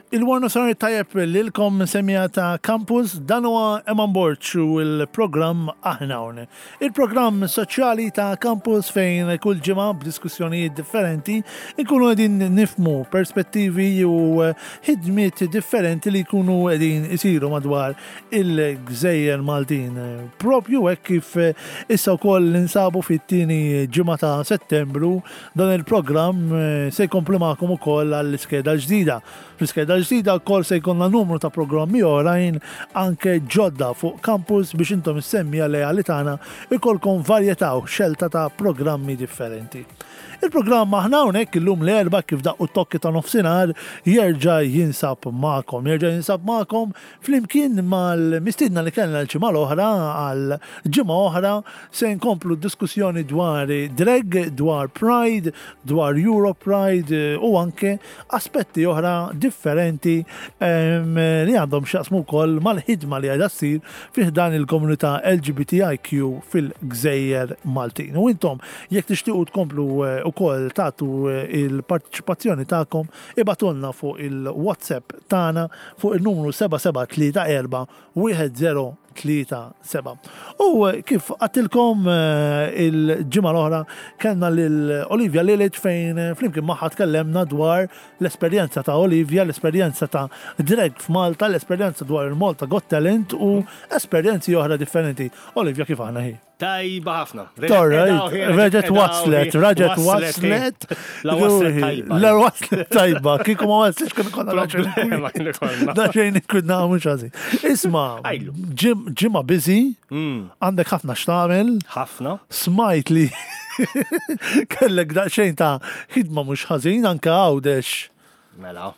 Il-Warna Sar tajjeb lilkom semija ta' Campus, dan huwa Eman Borg u l-programm Aħna Hawn. Il-programm soċjali ta' Campus fejn kull ġimgħa b'diskussjonijiet differenti nkunu qegħdin nifmu perspettivi u ħidmiet differenti li jkunu qegħdin isiru madwar il-gżejjer Maltin. Propju hekk kif issa wkoll ninsabu fit-tieni ġimgħa ta' Settembru Dan il-programm se jkompli magħkom ukoll għall-iskeda l-ġdida. Fl-iskeda l-ġdida wkoll se jkollna numru ta' programmi oħrajn anke ġodda fuq campus biex intom is-semmiegħa leali tagħna jkollkom varjetà u xelta ta' programmi differenti. Il-programm aħna hawnhekk illum l-Erbgħa kif daqqu t-tokki ta' nofsinhar jerġa' jinsab magħkom. Jerġa' jinsab magħkom Flimkien mal-mistiedna li kellna l-ġimgħa l-oħra għal ġimgħa oħra se nkomplu d-diskussjoni dwar drag, dwar Pride, dwar Euro Pride u anke aspetti oħra differenti li għandhom x'jaqsmu wkoll mal-ħidma li qiegħda ssir fi ħdan il-komunità LGBTIQ fil-gżejjer Maltin. U intom jekk tixtiequ tkomplu wkoll tagħtu il-parteċipazzjoni tagħkom Ibagħtulna fuq il-WhatsApp tagħna fuq il-numru 7734 1037. U kif għattilkom eh, il-ġimgħa l-oħra kellna lil Olivia Lilic fejn eh, flimkien magħha tkellemna dwar l-esperjenza ta' Olivia, l-esperjenza ta' drag f'Malta, l-esperjenza dwar il-Malta Got Talent u esperjenzi oħra differenti. Olivia kif aħna hi? Tajba ħafna. Reġet waslet, reġet waslet. La waslet tajba. La waslet tajba. Kiku ma waslitx kien konna Da xejn ikun mhux ħażin. Isma, ġimgħa busy, mm. għandek ħafna x'tagħmel. Ħafna. Smajt li kellek daqsxejn ta' ħidma mhux ħażin anke għawdex. Mela.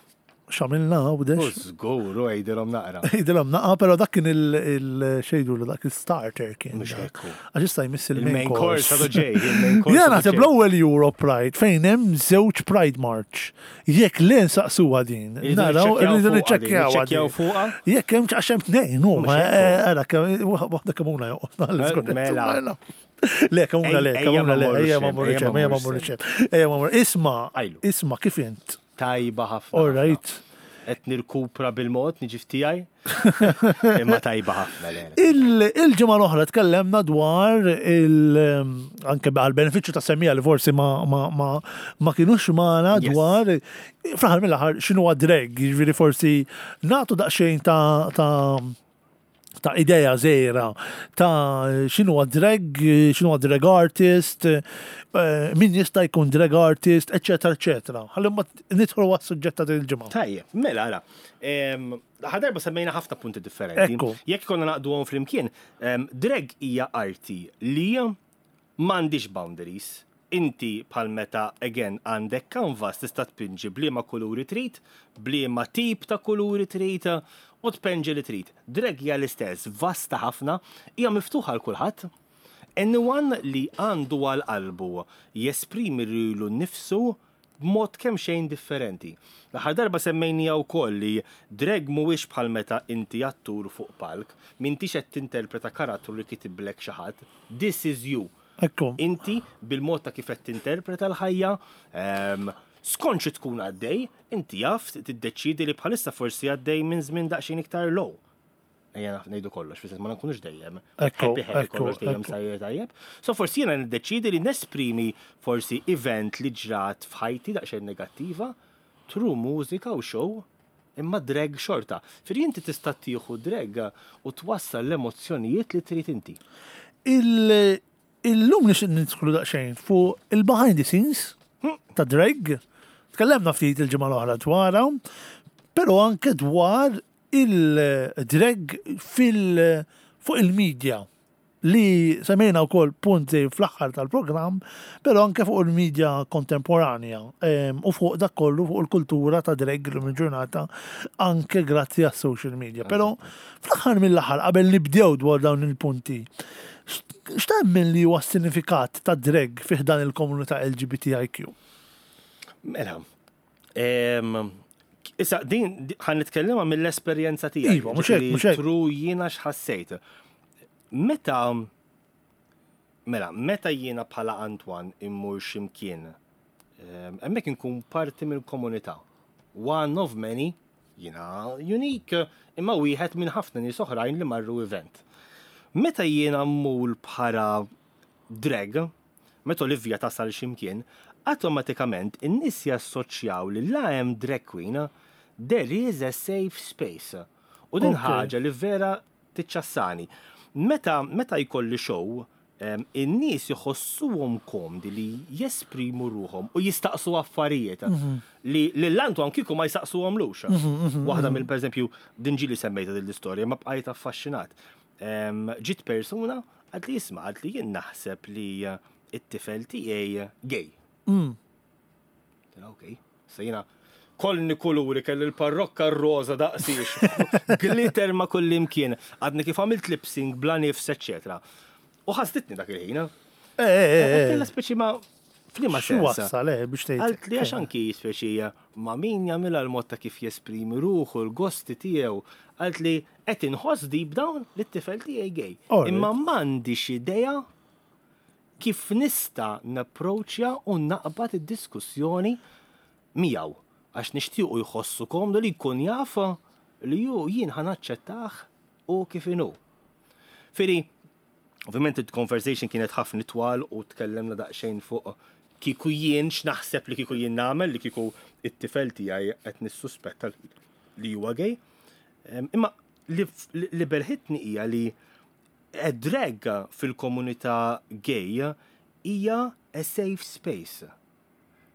X'għamilna Għawdex? Żgur, u għidilhom naqra. Għidilhom naqra, però dak kien il-xejdu dak il-starter kien. Mhux hekk. Għax issa jmiss il-main course. għadu ġej, il-main course. Jien naħseb l-ewwel Euro Pride fejn hemm żewġ Pride March. Jekk le nsaqsuha din. Naraw, irridu niċċekkjaw fuqha. Jekk hemm għax hemm tnejn huma, ara waħda kemm huma joqgħod. Mela. Le, kemm le, kemm le, ejja ma mmorru ejja ma mmorru ejja ma mmorru. Isma' isma' kif int? Tajba ħafna. All right. Qed nirkupra bil-mod, niġi f'tiegħi. Imma tajba ħafna le. Il-ġimgħa l-oħra tkellemna dwar il anke għal benefiċċju ta' semmija li forsi ma ma ma ma kinux magħna dwar fl-aħħar mill-aħħar x'inhu drag, jiġifieri forsi nagħtu daqsxejn ta' ta' ta' idea żgħira ta' x'inhuwa drag, x'inhuwa drag artist, eh, min jista' jkun drag artist, eċetera, eċetera. Ħalli mbagħad nidħlu għas-suġġett ta' din il-ġimgħa. Tajjeb, mela ara. Ħadarba semmejna ħafna punti differenti. Jekk konna naqduhom flimkien, drag hija arti li M'għandhiex boundaries. Inti bħal meta again għandek canvas tista' tpinġi b'liema kuluri trid, b'liema tip ta' kuluri trid u tpenġi li trid. Drag hija l-istess, vasta ħafna, hija miftuħa għal kulħadd. Anyone li għandu għal qalbu jesprimi lilu nnifsu b'mod kemxejn differenti. L-aħħar darba semmejniha wkoll li drag mhuwiex bħal meta inti attur fuq palk, m'intix qed tinterpreta karattru li kitiblek xi ħadd. This is you. Ekku. Inti bil-mod ta' kif qed tinterpreta l-ħajja, skont xi tkun għaddej, inti jaf tiddeċiedi li bħalissa forsi għaddej minn żmien daqsxejn iktar low. Ejja naf ngħidu kollox, fis ma nkunux dejjem. Happy happy kollox dejjem sajjer tajjeb. So forsi jiena niddeċiedi li nesprimi forsi event li ġrat f'ħajti daqsxejn negattiva through mużika u show imma drag xorta. Firri inti tista' tieħu drag u twassal l-emozzjonijiet li trid inti. Illum nixtieq nidħlu daqsxejn fuq il-behind the scenes ta' drag. Tkellemna ftit il-ġimgħa l-oħra dwarha, però anke dwar il-drag fil fuq il-media li semmejna wkoll punt żgħir fl-aħħar tal-programm, però anke fuq il-media kontemporanja u fuq dak kollu fuq il-kultura ta' drag illum il-ġurnata anke grazzi għas-social media. Però fl-aħħar mill-aħħar qabel nibdew dwar dawn il-punti, x'temmen li huwa s-sinifikat ta' drag fi ħdan il-komunità LGBTIQ? Mela, Issa, din ħan nitkellema mill-esperjenza tiegħi. Iva, mhux hekk, mhux hekk. Tru jiena x'ħassejt. Meta mela, meta jiena bħala Antwan immur x'imkien, hemmhekk inkun parti mill-komunità. One of many. Jiena unique, imma wieħed minn ħafna nies oħrajn li marru event. Meta jiena mmur bħala drag, meta Olivia tasal x'imkien, awtomatikament in-nies jassoċjaw li la hemm drag queen, there is a safe space. U din ħaġa li vera tiċċassani. Meta meta jkolli show, in-nies iħossuhom komdi li jesprimu ruħhom u jistaqsu affarijiet li lil Antoine kieku ma jsaqsuhomlux. Waħda mill pereżempju, din ġieli semmejtha din l-istorja, ma bqajt affaxxinat. Ġiet persuna għad li jisma' għad li jien naħseb li it-tifel tiegħi gay. Ok, se jiena kollni kuluri kelli l-parrokka r-roża daqsiex, glitter ma' kull imkien, għadni kif għamilt lip sync bla nifs, eċetera. U ħasditni dak il-ħin. Eh, eh, eh. Kella speċi ma' flima sens. Wassal, eh, biex tgħid. Għalt li għax anki speċi ma' min jagħmilha l-mod ta' kif jesprimi ruħu, l-gosti tiegħu. Għalt li qed inħoss deep down li t-tifel tiegħi gay. Imma m'għandix idea kif nista' napproċċja u naqbad id-diskussjoni miegħu għax nixtiequ jħossu komdu li jkun jaf li hu jien ħa naċċettah hu kif inhu. Firi, ovvjament il-conversation kienet ħafna twal u tkellemna daqsxejn fuq kieku jien x'naħseb li kieku jien nagħmel li kieku it-tifel tiegħi qed nissuspetta li huwa gay. Imma li belħitni hija li A drag fil-komunità gay hija a safe space.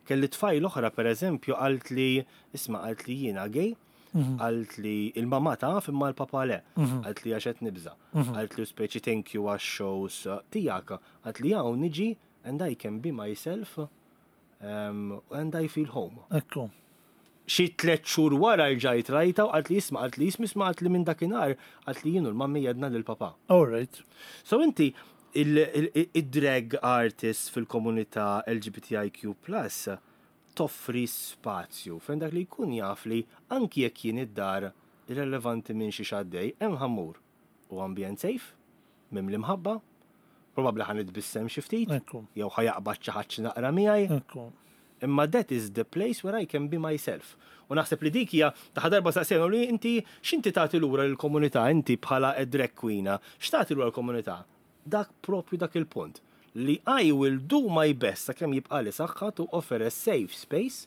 Kelli tfajla oħra pereżempju qaltli, isma' qaltli jiena gay, qaltli il-mamà taf imma l-papà le, qaltli għax qed nibża', qaltli u speċi thank you għax-shows tiegħek, qaltli hawn niġi and I can be myself and I feel home. Ekku. Xi tlett xhur wara rġajt rajtha u qaltli isma' qaltli ismi isma' qaltli minn dakinhar qaltli jien u l-mummy għedna lill-papà. All right. So inti id-drag artist fil-komunità LGBTIQ plus toffri spazju fejn dak li jkun jaf li anki jekk jien id-dar irrelevanti minn xiex għaddej hemm ħa mmur. Hu ambjent safe, mimli mħabba, probabbli ħa nitbissem xi ftit, jew ħa jaqbad xi ħadd xi naqra miegħi. Imma that is the place where I can be myself. U naħseb li dik hija ta' darba saqsejna li inti x'inti tagħti lura lill-komunità inti bħala a drag queen, x'tagħti lura l-komunità? Dak propju dak il-punt li I will do my best sakemm jibqagħli saħħa to offer a safe space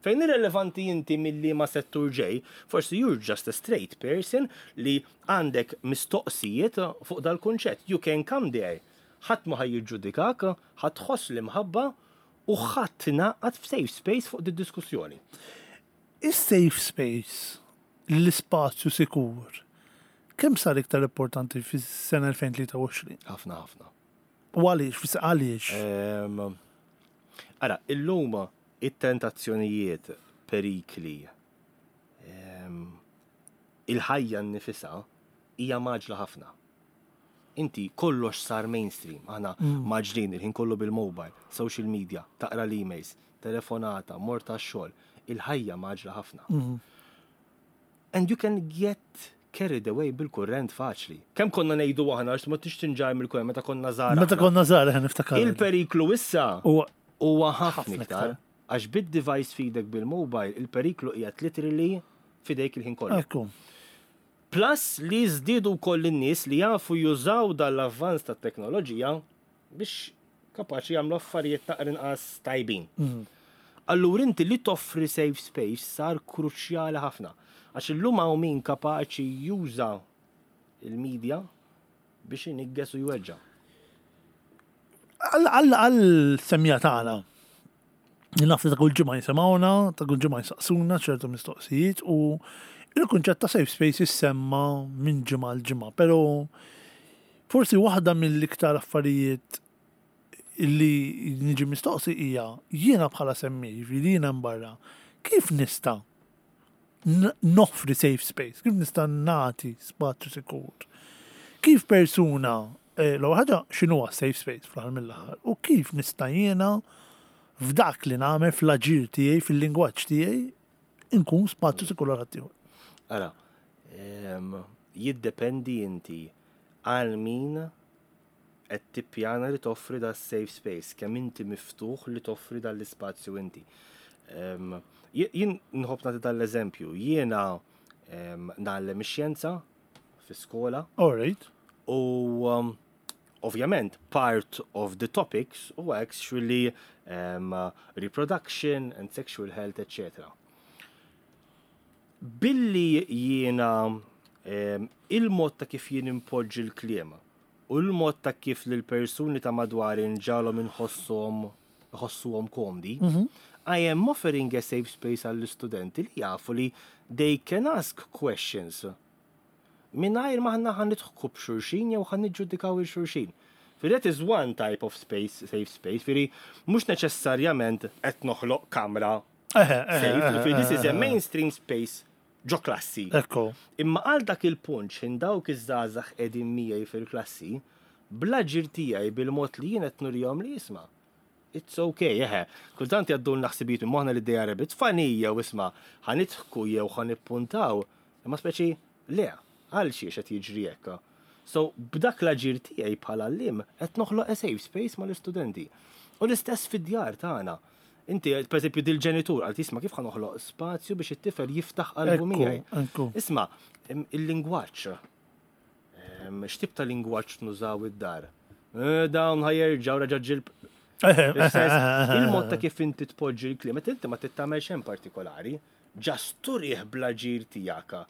Fejn irrelevanti inti minn liema settur ġej, forsi you're just a straight person li għandek mistoqsijiet fuq dal-kunċett. You can come there. Ħadd ma ħa jiġġudikak, ħa tħoss l-imħabba u ħa tingħaqad f'safe space fuq did-diskussjoni. Is-safe space, l-ispazju sikur, kemm sar iktar importanti fis-sena 2023? Ħafna ħafna. U għaliex? Għaliex? Ara, illum It-tentazzjonijiet, perikli, il-ħajja nnifisha hija mgħaġġla ħafna. Inti kollox sar mainstream, aħna mgħaġġlin il-ħin kollu bil-mobile, social media, taqra l-emails, telefonata, mort għax-xogħol, il-ħajja mgħaġġla ħafna. And you can get carried away bil-kurrent faċli. Kemm konna ngħidu aħna għax ma tix tinġar mill-kurrent meta konna żgħar. Meta konna żgħar aħna niftakar. Il-periklu issa huwa ħafna iktar. Għax bid-device f'idek bil-mobile, il-periklu qiegħed literally f'idejk il-ħin kollu. Ekku. Plus li żdiedu wkoll in-nies li jafu jużaw dan l-avvanz tat-teknoloġija biex kapaċi jagħmlu affarijiet naqra inqas tajbin. Mhm. Allura inti li toffri safe space sar kruċjali ħafna. Għax illum hawn min kapaċi juża il-media biex inigges u jweġġa'. Għal semja tagħna. Naf li ta' kull ġimgħa jisimgħuna, ta' kull ġimgħa jsaqsuna ċertu mistoqsijiet u il-kunċett ta' safe space jissemma minn ġimgħa l ġimgħa, però forsi waħda mill-iktar affarijiet li niġi mistoqsi hija jiena bħala semmi, jiġifieri jiena barra, kif nista' noffri safe space, kif nista' nagħti spazju sikur? Kif persuna, eh, l-ewwel ħaġa x'inhuwa safe space fl-aħħar mill-aħħar u kif nista' jiena f'dak li nagħmel fl-aġir tiegħi, fil-lingwaġġ tiegħi, inkun spazju sikur għal ħaddieħor. Ara, jiddependi inti għal min qed tippjana li toffri da safe space, kemm inti miftuħ li toffri dan l-ispazju inti. Jien nħobb nagħti dan l-eżempju, jiena Ngħallem ix-xjenza fi skola. All right. U ovvjament part of the topics huwa actually reproduction and sexual health, etc. Billi jiena il-mod ta' kif jien impoġġi l-kliem u l-mod ta' kif lil persuni ta' madwari nġagħalhom inħossuhom iħossuhom komdi, I am offering a safe space għall-istudenti li jafu li they can ask questions mingħajr ma aħna ħa nidħku b'xulxin jew ħa niġġudikaw 'il xulxin. Firri that is one type of space, safe space, firri mhux neċessarjament qed noħloq kamra safe, firri this is a mainstream space ġo klassi. Ekku. Imma għal dak il-punt x'ħin dawk iż-żgħażagħ qegħdin miegħi fil-klassi, bl-aġir tiegħi bil-mod li jien qed nurihom li isma' it's ok, eħe. Kultant jgħaddulna ħsibijiet minn moħħna li they are a bit funny jew isma' ħa nidħku jew ħa nippuntaw, imma speċi le, għal xiex qed jiġri hekk. So b'dak l-aġir tiegħi bħala għalliem qed noħloq a safe space mal-istudenti. U l-istess fid-djar tagħna. Inti, per eżempju, dil-ġenitur għal tisma' kif ħa noħloq spazju biex it-tifel jiftaħ qalbu miegħi. Isma' il-lingwaġġ. X'tip ta' lingwaġġ nużaw id-dar? Eh, dawn ħajerġaw raġa' ġilb. Il-mod ta' kif inti tpoġġi l-kliem, meta inti ma tittamel xejn partikolari, ġast turih bl-aġir tiegħek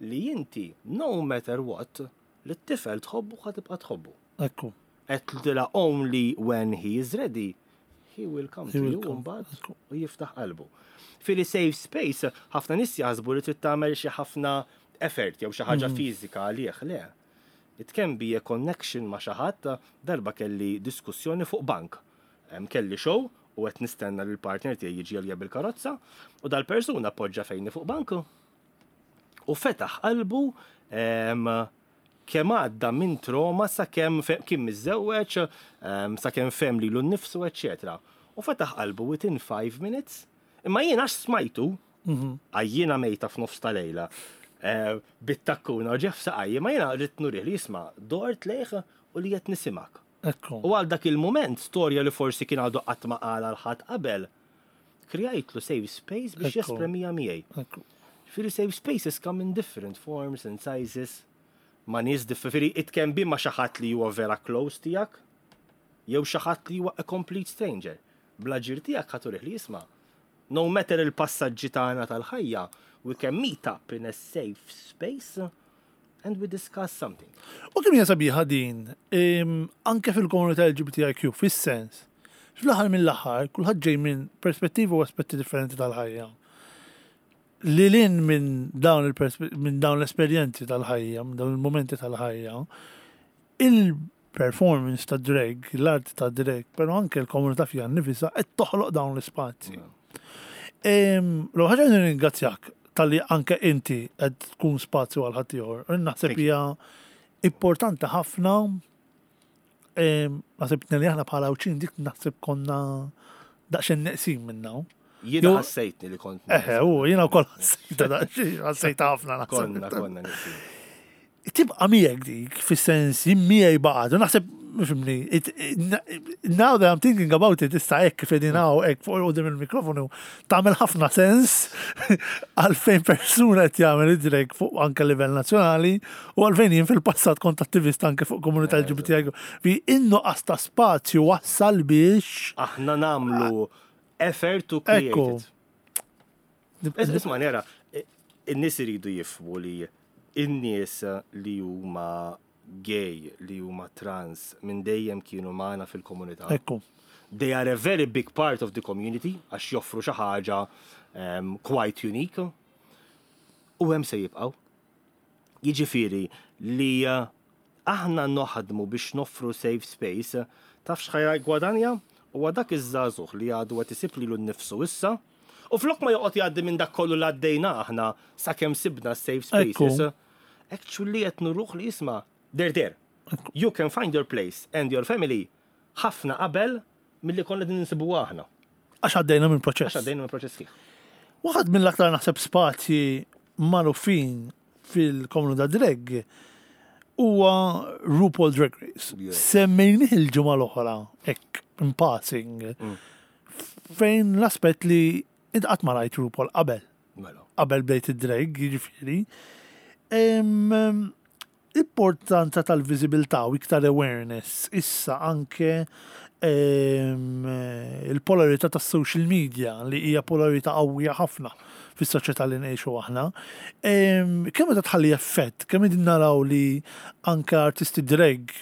li inti, no matter what, li t-tifel tħobbu ħa tibqa' tħobbu. Ekku. Għedtla only when he is ready, he will come to you mbagħad u jiftaħ qalbu. Fili safe space, ħafna nies jaħsbu li trid tagħmel xi ħafna effort jew xi ħaġa mhm. fiżika għalih, le. It can be a connection ma' xi ħadd, darba kelli diskussjoni fuq bank. Kelli show u qed nistenna li l-partner tiegħi jiġi għalija bil-karozza u dal-persuna poġġa fejni fuq bank u fetaħ qalbu kemm għadda minn trauma sakemm kien miżżewweġ, sakemm fehem lilu nnifsu, eċċetera. U fetaħ qalbu within 5 minutes. Imma jien għax smajtu, mhm. għajjiena mejta f'nofs ta' lejla, eh, bit-takkuna u ġef saqaj, imma jiena rrid nurih li jisma' dort lejh u li qed nisimak. U għal dak il-moment, storja li forsi kien għadu qatt ma qal għal ħadd qabel, Krejajtlu safe space biex jespremija miegħi. Ġifieri safe spaces come in different forms and sizes ma' nies differenti. It can be ma' xi ħadd li huwa vera close tiegħek jew xi ħadd li huwa a complete stranger. Bl-aġir tiegħek ħa turih li jisma' no matter il-passaġġi tagħna tal-ħajja, we can meet up in a safe space and we discuss something. U kemm hija sabiħa din, anke fil-komunità LGBTIQ, fis-sens, fl-aħħar mill-aħħar, kulħadd ġej minn perspettivi u aspetti differenti tal-ħajja. Lil hinn minn dawn minn dawn l-esperjenzi tal-ħajja, minn dawn il-momenti tal-ħajja, il-performance ta' drag, l-art ta' drag, però anke l-komunità fiha nnifisha qed toħloq dawn l-ispazji. L-ewwel ħaġa nirringrazzjak talli anke inti qed tkun spazju għal ħaddieħor. Naħseb hija importanti ħafna naħseb li aħna bħala Għawdxin dik naħseb konna daqsxejn neqsin minna. Jiena ħassejtni li kont. Eħe, u jiena wkoll ħassejta daqsxejn, ħassejta ħafna naħseb. Konna, konna neqsin. Tibqa' miegħek dik, fis-sens jien miegħi baqgħet, u naħseb fimni, now that I'm thinking about it, issa hekk kif qegħdin hawn hekk fuq quddiem il-mikrofonu, tagħmel ħafna sens għalfejn persuna qed jagħmel id-drag fuq anke livell nazzjonali u għalfejn jien fil-passat kont attivist anke fuq komunità LGBTIQ. Fi in-nuqqas ta' spazju wassal biex Aħna nagħmlu effort to create it. Isma' nera, in-nies iridu jifhmu li in-nies li huma gay, li huma trans, minn dejjem kienu magħna fil-komunità. Ekku. They are a very big part of the community għax joffru xi ħaġa um, quite unique. U hemm se jibqgħu. Jiġifieri li eh, aħna noħdmu biex noffru safe space, taf x'ħa jiggwadanja? Huwa dak iż-żagħżugħ li għadu qed isib lilu nnifsu issa, u flok ma joqgħod jgħaddi minn dak kollu li għaddejna aħna sakemm sibna s-safe spaces, actually qed nuruh li isma' they're there. You can find your place and your family ħafna qabel milli konna qegħdin insibuha aħna. Għax għaddejna minn proċess. Għax għaddejna minn proċess sħiħ. Waħed mill-aktar naħseb spazji magħrufin fil-komunità drag huwa RuPaul Drag Race. Semmejnih il-ġimgħa l-oħra hekk in passing. Mm. Fejn l-aspett li int qatt ma rajt RuPaul qabel. Mela. qabel bdejt id-drag, jiġifieri. Importanza tal-viżibilità u iktar awareness issa anke il-polarità tas-social media li hija polarità qawwija ħafna fis-soċjetà li ngħixu aħna. Kemm qed tħalli effett, kemm qegħdin naraw li anke artisti drag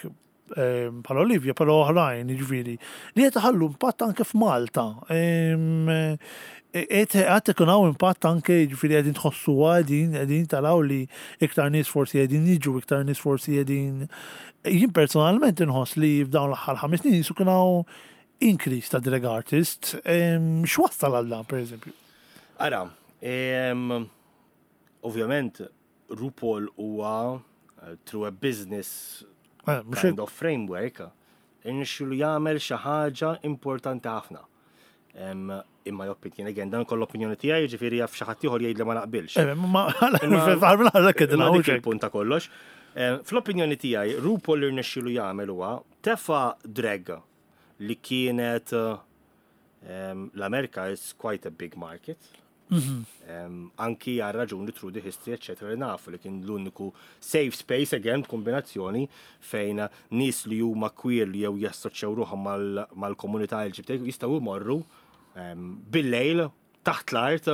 bħal Olivia, però oħrajn, jiġifieri, li qed iħallu impatt anke f'Malta. Qed qed ikun hawn impatt anke jiġifieri qegħdin tħossuha qegħdin qegħdin taraw li iktar nies forsi qegħdin jiġu, iktar nies forsi qegħdin. Jien personalment inħoss li f'dawn l-aħħar ħames snin qisu kien hawn increase ta' drag artists. X'wassal għal dan, pereżempju? Ara, ovvjament RuPaul huwa through a business eh, kind of framework irnexxielu jagħmel xi ħaġa importanti ħafna. In my opinion, again, dan koll opinjoni tiegħi, ġifieri jaf xi ħadd ieħor jgħid li ma naqbilx. Eh, ma dik il-punt ta' kollox. Fl-opinjoni tiegħi, RuPaul irnexxielu jagħmel huwa tefa' drag li kienet l-Amerika is quite a big market. Anki għal raġuni through the history, eccetera, li nafu li kien l-uniku safe space, again, kombinazzjoni fejn nies li huma queer li jew jassoċjaw ruħhom mal-komunità LGBT jistgħu jmorru bil-lejl taħt l-art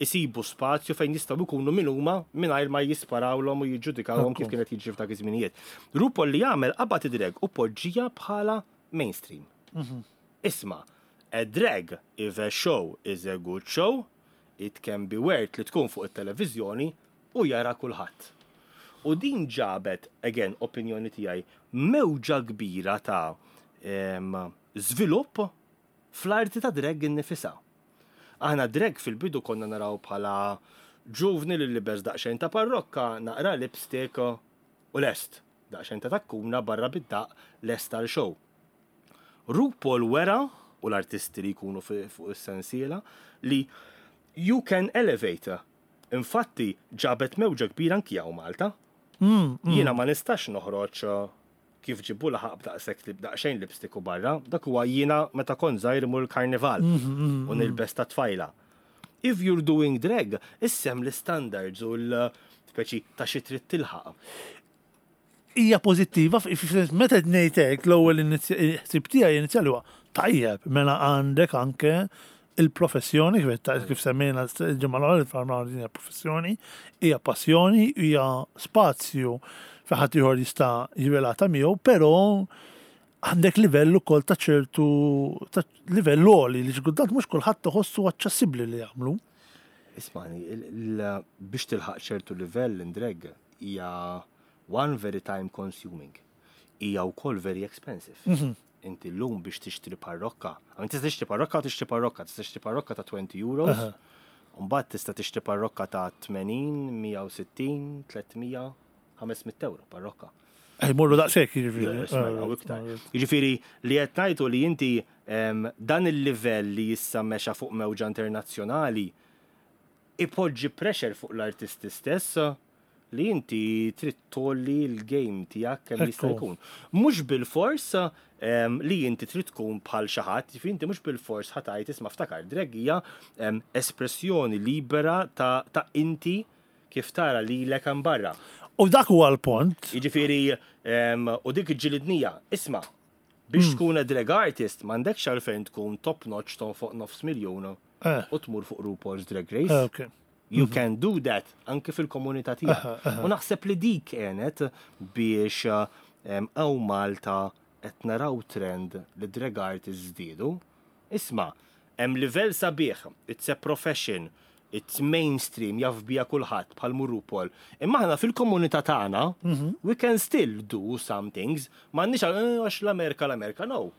isibu spazju fejn jistgħu jkunu min huma mingħajr ma jisparawlhom u jiġġudikawhom kif kienet jiġri f'dak iż-żminijiet. RuPaul li jagħmel qabad id-drag u poġġija bħala mainstream. Isma', a drag if a show is a good show, it can be worth li tkun fuq it-televiżjoni u jara kulħadd. U din ġabet, again, opinjoni tiegħi, mewġa kbira ta' żvilupp fl-arti ta' drag innifisha. Aħna drag fil-bidu konna naraw bħala ġuvni li libes daqsxejn ta' parrokka, naqra lipstick u lest. Daqsxejn ta' takkuna barra bid-daqq lest għal show. RuPaul wera, u l-artisti li jkunu fuq is-sensiela, li you can elevate. Infatti, ġabet mewġa kbira anki hawn Malta. Jiena ma nistax noħroġ kif ġibu laħaq b'daqshekk daqsxejn lipstick u barra, dak huwa jiena meta kont żgħir imur il-karnival u nilbes ta' tfajla. If you're doing drag, issem l-standards u l-speċi ta' xi trid tilħaq. Hija pożittiva, meta qed ngħid hekk l-ewwel ħsieb tiegħi inizjali huwa tajjeb, mela għandek anke il-professjoni, kif semmejna l-ġimgħa l-oħra, il-farma hija professjoni, hija passjoni, hija spazju fejn ħadd ieħor jista' jirrelata miegħu, però għandek livell ukoll ta' ċertu ta' livell għoli li xi kultant mhux kulħadd iħossu aċċessibbli li jagħmlu. Ismani, biex tilħaq ċertu livell in drag hija one very time consuming. Hija wkoll very expensive. Inti llum biex tixtri parrokka, għamin tista' tixtri parrokka tixtri parrokka, tista' tixtri parrokka ta' 20 euros, mbagħad tista' tixtri parrokka ta' 80, 160, 300, 500 euro parrokka. Ej, morru daqshekk jiġifieri. Jiġifieri li qed ngħidu li inti dan il-livell li issa mexa fuq mewġa internazzjonali ipoġġi pressure fuq l-artisti stess li inti trid tgħolli l-game tiegħek kemm jista' jkun. Mhux bilfors li inti trid tkun bħal xi ħadd, jiġifieri inti mhux bilfors ħa tgħid isma' ftakar drag hija espressjoni libera ta' inti kif tara lilek hemm barra. U dak huwa l-punt. Jiġifieri u dik ġilidnija, isma' biex tkun a drag artist m'għandekx għalfejn tkun top notch tonfoq nofs miljun u tmur fuq RuPaul's Drag Race. You can do that anke fil-komunità tiegħek. U naħseb li dik għenet biex hawn Malta qed naraw trend li drag artists żdiedu. Isma', hemm livell sabiħ, it's a profession, it's mainstream, jaf biha kulħadd bħal mhu RuPaul. Imma aħna fil-komunità tagħna, we can still do some things. M'għandniex għax l-Amerika l-Amerika, no.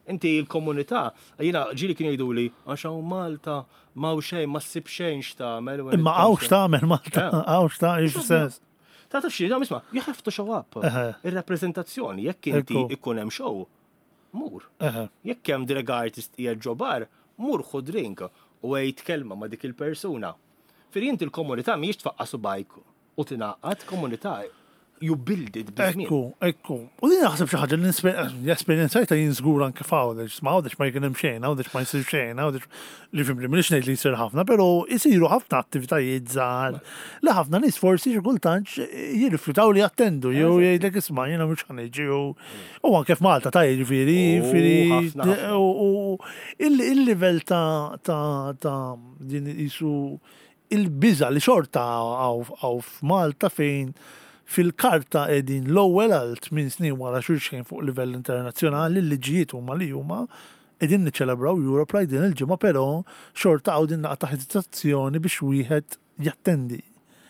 Inti l-komunità, jiena ġieli kienu jgħiduli, għax hawn Malta, m'hawn xejn, ma ssib xejn x'tagħmel. Imma hawn x'tagħmel Malta, hawn x'tagħmel, x'sens. Ta' taf xi, isma' you have to show up. Ir-rappreżentazzjoni, jekk inti ikun hemm show, mur. Jekk hemm drag artist qiegħed ġo bar, mur ħu drink u għid kelma ma' dik il-persuna. Firri inti l-komunità mhijiex tfaqqa' subgħajk u tingħaqad, komunità. You build it biż-żmien. Ekku, ekku. U din naħseb xi ħaġa li esperjenzajta jien żgur anke f'Għawdex, ma Għawdex ma jkun hemm xejn, Għawdex ma jsir xejn, Għawdex li fimli m'iniex ngħid li jsir ħafna, però jsiru ħafna attivitajiet żgħar li ħafna nies forsi xi kultant jirrifjutaw li jattendu jew jgħidlek isma' jiena mhux ħa niġi u anke f'Malta ta' jiġifieri, jiġifieri u il-livell ta' ta' ta' din qisu il-biża' li xorta hawn f'Malta fejn fil-karta qegħdin l-ewwel għal tminn snin wara xulxin fuq livell internazzjonali, l-liġijiet huma li huma, qegħdin niċċelebraw Europride din il-ġimgħa però xorta hawn din naqra ta' ħesitazzjoni biex wieħed jattendi.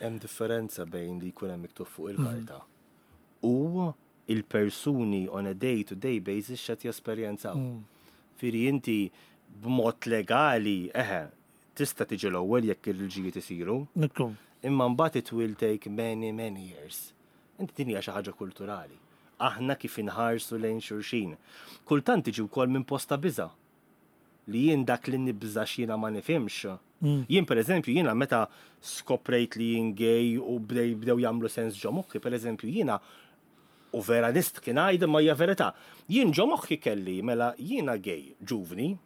Hemm differenza bejn li jkun hemm miktub fuq il-karta u il-persuni on a day to day basis x'qed jesperjenzaw. Fieri inti b'mod legali, eħe, Tista' tiġi l-ewwel jekk il-liġijiet isiru. Ekku. Imma mbagħad it will take many, many years. Inti din hija xi ħaġa kulturali. Aħna kif inħarsu lejn xulxin. Kultant tiġi wkoll minn post ta' biża'. Li jien dak li nibża' x'jiena ma nifhimx. Jien pereżempju jiena meta skoprejt li jien gay u bdej bdew jagħmlu sens ġo moħħi, pereżempju jiena u vera nistħi ngħid imma hija verità. Jien ġo moħħi kelli mela jiena gay ġuvni,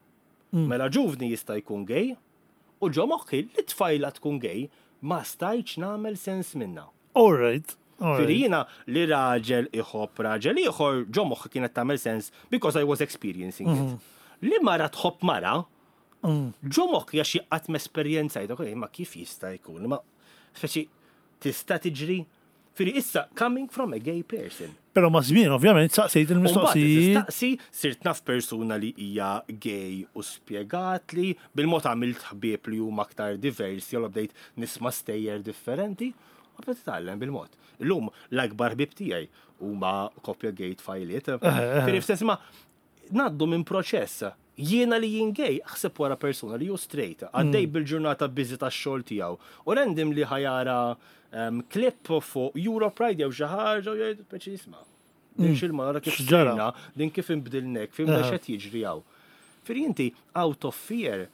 Mela ġuvni jista' jkun gay u ġo moħħi li tfajla tkun gay ma stajtx nagħmel sens minnha. All right. Fieri jiena li raġel iħobb raġel ieħor ġo moħħi kienet tagħmel sens because I was experiencing it. Li mara tħobb mara ġo moħħi għax jien qatt m'esperjenzajtha, imma kif jista' jkun? Imma speċi tista' tiġri? Fieri issa coming from a gay person. Però maż-żmien ovvjament saqsejt il-mistoqsijiet. Staqsi, sirt naf persuna li hija gay u spjegatli, bil-mod għamilt ħbieb li huma aktar diversi, allura bdejt nisma' stejjer differenti u bdejt titgħallem bil-mod. Illum l-akbar ħbieb tiegħi huma koppja gay tfajliet. Fieri f'sens ma Ngħaddu minn proċess. Jiena li jien gay, aħseb wara persuna li hu straight, għaddej bil-ġurnata busy tax-xogħol tiegħu u randomly ħa jara clip fuq Europride jew xi ħaġa u jgħid speċi isma' din x'ilma nara kif sirna, din kif inbdilna hekk, fimna x'qed jiġri hawn. Fieri inti out of fear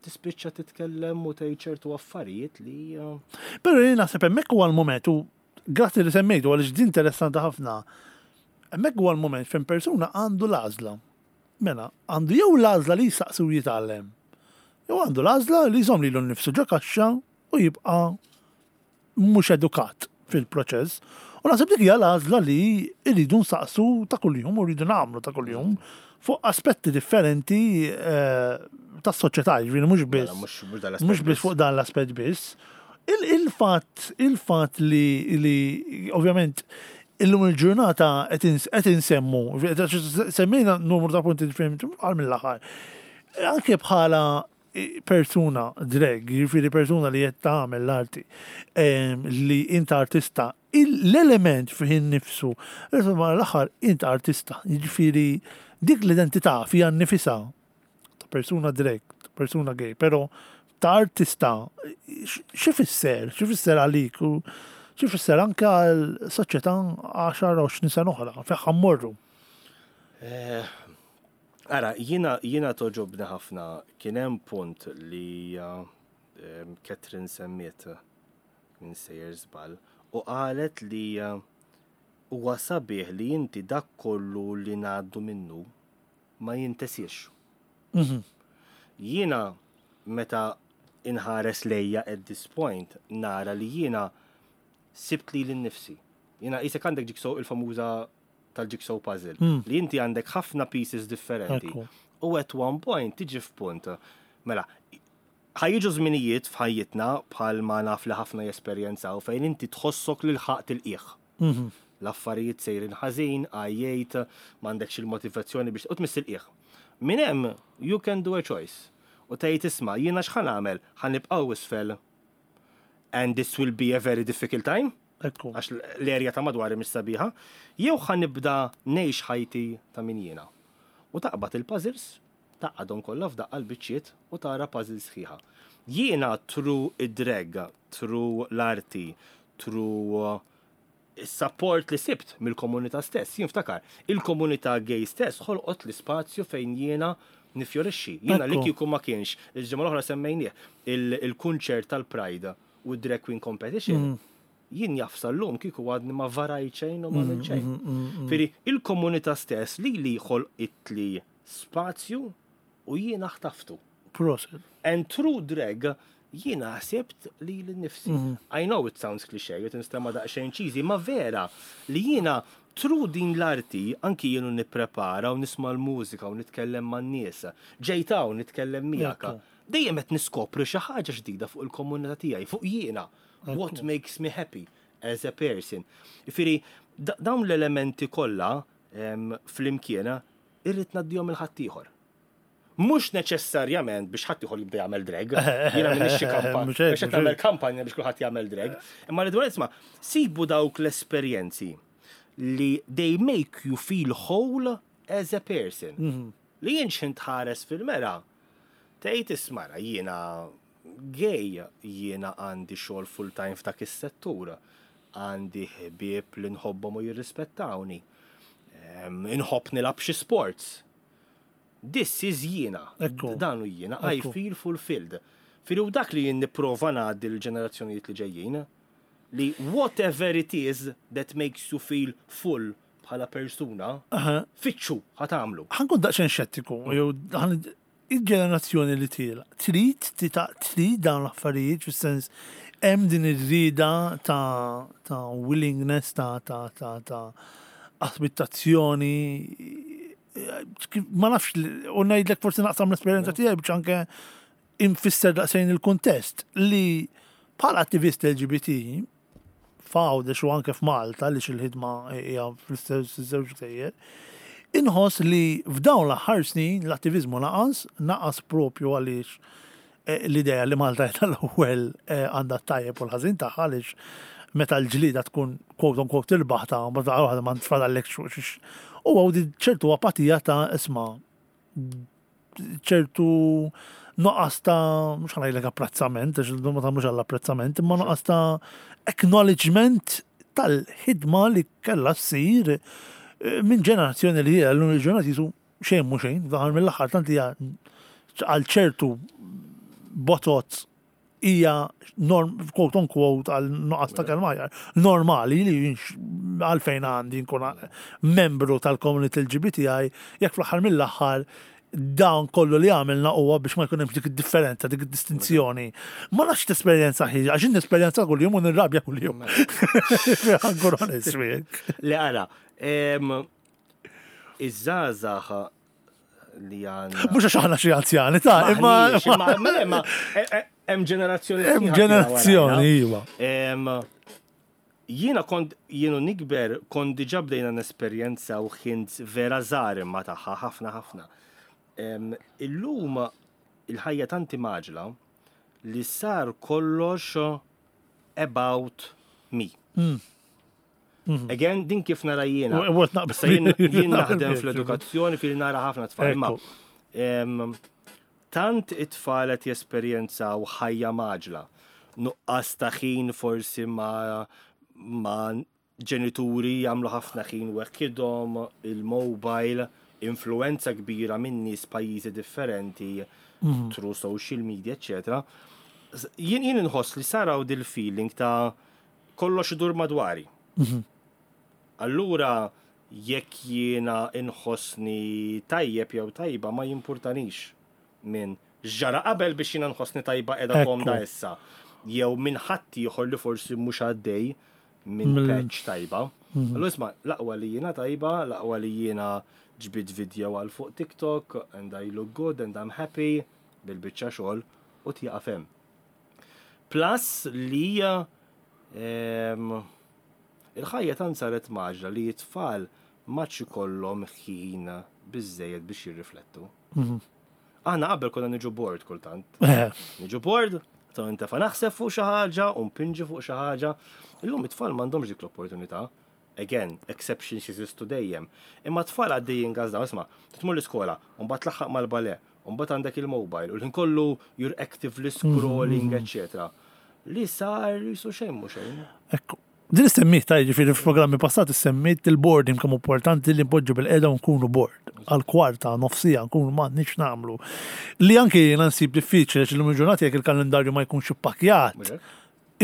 tispiċċa titkellem u tgħid ċertu affarijiet li. Però jien naħseb hemmhekk huwa l-mument u Grazzi li semmejtu għaliex din interessanti ħafna. Hemmhekk huwa l-mument fejn persuna għandu l-għażla. Mela, għandu jew l-għażla li jsaqsi u jitgħallem, jew għandu l-għażla li jżomm lilu nnifsu ġo kaxxa u jibqa' mhux edukat fil-proċess. U naħseb dik hija l-għażla li rridu nsaqsu ta' kuljum u rridu nagħmlu ta' kuljum fuq aspetti differenti eh, tas-soċjetà, jiġifieri mhux biss. Mela, mhux biss fuq dan l-aspett biss. Il-fatt il-fatt li li ovvjament illum il-ġurnata qed insemmu, semmejna numru ta' punti differenti għal mill-aħħar. Anke bħala persuna drag, jiġifieri persuna li qed tagħmel l-arti, li int artista, l-element fih innifsu, insomma l-aħħar int artista, jiġifieri dik l-identità fiha nnifisha ta' persuna drag, ta' persuna gay, però ta' artista, x'ifisser, x'ifisser għalik u x'ifisser anke għal soċjetà 10 20 sena oħra, fejn ħa mmorru? Eh, ara, jiena jiena toġobni ħafna kien hemm punt li eh, Catherine semmiet minn sejjer żball u qalet li eh, huwa sabiħ li inti dak kollu li ngħaddu minnu ma jintesiex. Jiena meta inħares lejja at this point nara li jiena sibt lili nnifsi. Jiena qisek għandek jigsaw il-famuża tal-jigsaw puzzle mm. li inti għandek ħafna pieces differenti. U at one point tiġi f'punt. Mela, ħajġu żminijiet f'ħajjitna bħal ma naf li ħafna jesperjenzaw fejn inti tħossok li lħaqt il-qiegħ. L-affarijiet sejrin ħażin, għajjejt, m'għandekx il-motivazzjoni biex u tmiss il-qiegħ. Minn hemm you can do a choice. U tgħid isma' jiena x'ħa nagħmel? Ħa nibqgħu isfel and this will be a very difficult time. Ekku. Għax l-erja ta' madwari mhix sabiħa. Jew ħa nibda ngħix ħajti ta' min jiena. U taqbad il-puzzles, tgħaqqadhom kollha f'daqqa l-biċċiet u tara puzzle sħiħa. Jiena through id-drag, through l-arti, through is-sapport li sibt mill-komunità stess. Jien ftakar, il-komunità gay stess ħolqot l-ispazju fejn jiena nifjorixxi. Jiena li kieku ma kienx, il-ġimgħa l-oħra semmejnieh, il-kunċert tal-Pride u d-Drag Queen Competition. Jien jaf sal-lum kieku għadni ma varajt xejn u ma għamilt xejn. Firri, il-komunità stess li li ħolqitli spazju u jiena ħtaftu. Prosit. And through drag, jiena ħsibt lili nnifsi. I know it sounds cliché, u tinstema' daqsxejn cheesy, ma vera li jiena through din l-arti, anki jien u nipprepara u nisma' l-mużika u nitkellem man-nies, ġejt hawn nitkellem miegħek, dejjem qed niskopri xi ħaġa ġdida fuq il-komunità tiegħi, fuq jiena. What makes me happy as a person. Jifieri, dawn l-elementi kollha flimkien irrid ngħaddihom 'il ħaddieħor. Mhux neċessarjament biex ħaddieħor jibda jagħmel drag. Jiena m'iniex xi kampanja. Mhux qed nagħmel kampanja biex kulħadd jagħmel drag. Imma rridu isma' sibu dawk l-esperjenzi li they make you feel whole as a person. Mhm. Li jien x'ħin tħares fil-mera, tgħid isma' jiena gay, jiena għandi xogħol full-time f'dak is-settur, għandi ħbieb li nħobbhom u jirrispettawni, inħobb nilgħab xi sports. This is jiena. Dan hu jiena. I feel fulfilled. Fili u dak li jien nipprova ngħaddi l-ġenerazzjonijiet li ġejjin, li whatever it is that makes you feel full bħala persuna, fittxu ħa tagħmlu. Ħa nkun daqsxejn xettiku, jew il-ġenerazzjoni li tiela trid trid dawn l-affarijiet fis-sens hemm din ir-rieda ta' ta' willingness ta' ta' ta' ta' aspettazzjoni ma nafx u ngħidlek forsi naqsam l-esperjenza tiegħi biex anke infisser daqsxejn il-kuntest li bħala attivist LGBT f'Għawdex u anke f'Malta għaliex il-ħidma hija fl-istess żewġ gżejjer, inħoss li f'dawn l-aħħar snin l-attiviżmu naqas, naqas propju għaliex eh, l-idea li Malta hija l-ewwel eh, għandha t-tajjeb u l-ħażin tagħha għaliex meta l-ġlieda tkun quote unquote tirbaħ ta' ma ta' ma tfadallek xux. U għaw ċertu apatija ta' isma' ċertu noqqas ta' mhux ħanajlek apprezzament, għax ma tagħmlux għall-apprezzament, imma noqqas ta' acknowledgement tal-ħidma li kellha ssir eh, minn ġenerazzjoni li hija l-lum il-ġurnata jisu xejn mhu xejn, daħal mill-aħħar tant hija għal ċertu botot hija norm, quote on quote għal nuqqas ta' kelma aħjar, normali li għalfejn għandi nkun membru tal-komunità LGBTI jekk fl-aħħar mill-aħħar dawn kollu li għamilna huwa biex ma jkun hemmx dik id-differenza, dik id-distinzjoni. Ma nafx t-esperjenza ħiġa, għax nesperjenza kuljum u nirrabja kuljum. Ħa nkun onest miegħek. Le ara, iż-żgħażagħ li għandna. Mhux għax aħna xi anzjani ta' imma. Imma e, e, hemm ġenerazzjoni. Hemm ġenerazzjoni, iva. Jiena kont jienu nikber kont diġà bdejna nesperjenza u ħint vera żgħar imma tagħha ħafna ħafna. Illum il-ħajja tanti maġla li sar kollox about me. Mm. Mhm. Again, din kif nara jiena. Issa jien naħdem fl-edukazzjoni fil nara ħafna tfal. Imma tant it-tfal qed jesperjenzaw ħajja maġla, nuqqas ta' ħin forsi ma' ma' ġenituri jagħmlu ħafna ħin weħidhom, il-mobile, influenza kbira minn nies pajjiżi differenti, mhm. through social media, eccetera. Jien jien inħoss li saraw dil-feeling ta' kollox idur madwari. Mhm. Allura jekk jiena inħossni tajjeb jew tajba ma jimpurtanix minn x'ġara qabel biex jiena nħossni tajba qiegħda komda issa. Jew minn ħadd ieħor li forsi mhux għaddej minn patch tajba. Mhm. Allura isma' l-aqwa li jiena tajba, l-aqwa li jiena ġbid video għal fuq TikTok and I look good and I'm happy bil-biċċa xogħol u tieqaf hemm. Plus li ehm, il-ħajja tant saret maġla li t-tfal m'għadx ikollhom ħin biżejjed biex jirriflettu. Mhm. Aħna qabel konna niġu bored kultant. Eh. Niġu bored, ta' intefa naħseb fuq xi ħaġa u npinġi fuq xi ħaġa. Illum it-tfal m'għandhomx dik l-opportunità. Again, exceptions jeżistu dejjem. Imma t-tfal għaddejjin gazdaw, isma' tmur l-iskola, u mbagħad tlaħħaq mal-ballet, U mbagħad għandek il-mobile u l-ħin kollu you're actively scrolling, etc. Li sar jisu xejn mhu xejn. Ekku. Din issemmiet ta' jiġifieri f'programmi passati semmiet il-boarding kemm importanti li npoġġu bil-qiegħda u nkunu board. Għal kwarta, nofsija nkunu m'għandniex nagħmlu. Li anke jiena nsib diffiċli għax illum il-ġurnata jekk il-kalendarju ma jkunx ippakkjat.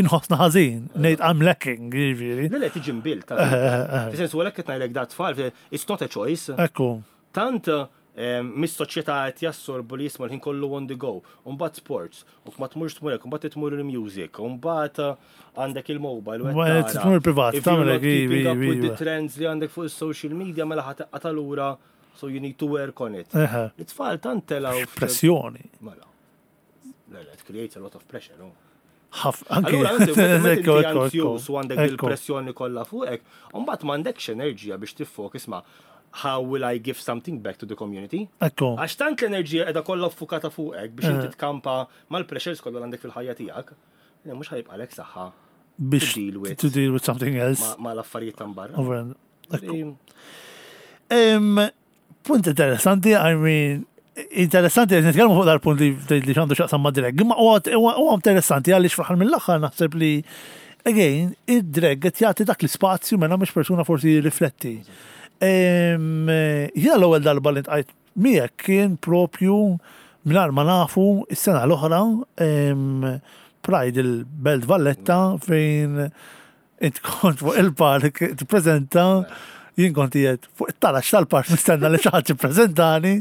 inħossna ħażin, ngħid I'm lacking, jiġifieri. Le, le, tiġi mbilt. Fis-sens u għalhekk qed ngħidlek da tfal, it's not a choice. Ekku. Tant mis-soċjetà qed jassorbu li jisma' l-ħin kollu on the go, u mbagħad sports, u ma tmurx tmur hekk, u mbagħad tmur il-music, u mbagħad għandek il-mobile. U tmur privat, tagħmel keeping up with the trends li għandek fuq is-social media mela ħa teqqa' lura, so you need to work on it. It-tfal tant telgħu. Pressjoni. Mela. It creates a lot of pressure, no? Allura, inti anzjuż u għandek il-pressjoni kollha fuqek, u mbagħad m'għandekx enerġija biex tiffoka isma' how will I give something back to the community? Ekku. Għax tant l-enerġija qiegħda kollha ffukata fuqek biex inti tkampa mal-pressures kollha għandek fil-ħajja tiegħek, mhux ħa jibqagħlek saħħa biex to deal with, to deal with something else. Ma l-affarijiet ta' barra. Punt interessanti, I mean, interessanti li nitkellmu fuq dal-punt li li għandu x'jaqsam ma' drag. Imma huwa interessanti għaliex fl-aħħar mill-aħħar naħseb li again, id-drag qed jagħti dak l-ispazju mela mhux persuna forsi jirrifletti. Jiena l-ewwel darba li ntqajt miegħek kien propju mingħajr ma nafu is-sena l-oħra Pride il-Belt Valletta fejn Int kont fuq il-park tippreżenta, jien kont qiegħed fuq it-taraġ tal-park nistenna li xi ħadd jippreżentani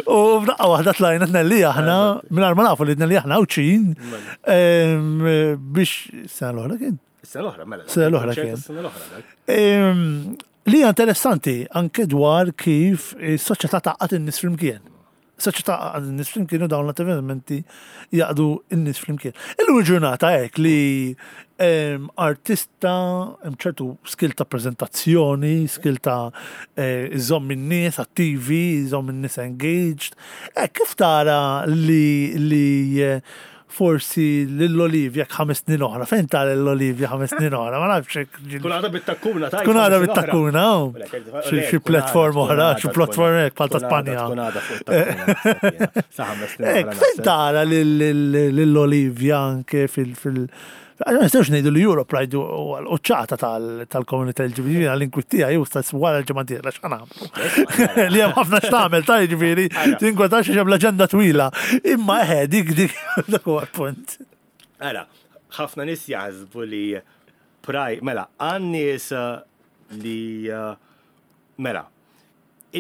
u f'daqqa waħda tlajna tnelli aħna mingħajr ma nafu li tnelli aħna Għawdxin biex sena l-oħra kien. Sena l-oħra, mela. Sena l-oħra kien. Sena l-oħra. Li hija interessanti anke dwar kif is-soċjetà tgħaqqad in-nies flimkien. Soċjetà għaqad in-nies flimkien u dawn l-avvenimenti jaqdu n-nies flimkien. Illum il-ġurnata hekk li ehm, artista hemm ċertu skill ta' preżentazzjoni, skill ta' eh, iżomm in-nies attivi, iżomm in-nies engaged. Eh, kif tara li li eh, forsi lil Olivia ħames snin oħra, fejn tara lil Olivia ħames snin oħra, ma nafx hekk. Tkun għadha bit-takkuna ta' Tkun għadha bit-takkuna, xi platform oħra, xi platform hekk bħal ta' Spanja. Tkun għadha fuq takkuna. Sa ħames snin. Fejn tara lil Olivia anke fil- Ma nistgħux ngħidu li Europe Pride huwa l-quċċata tal-komunità LGBT għall-inkwittija jew stess wara l-ġimgħa dieħla x'ħa nagħmlu. Li hemm ħafna x'tagħmel ta' jiġifieri tinkwetax għax hemm l-aġenda twila. Imma eħe dik dik dak huwa l-punt. Ara, ħafna nies jaħsbu li Pride, mela, għan-nies li mela,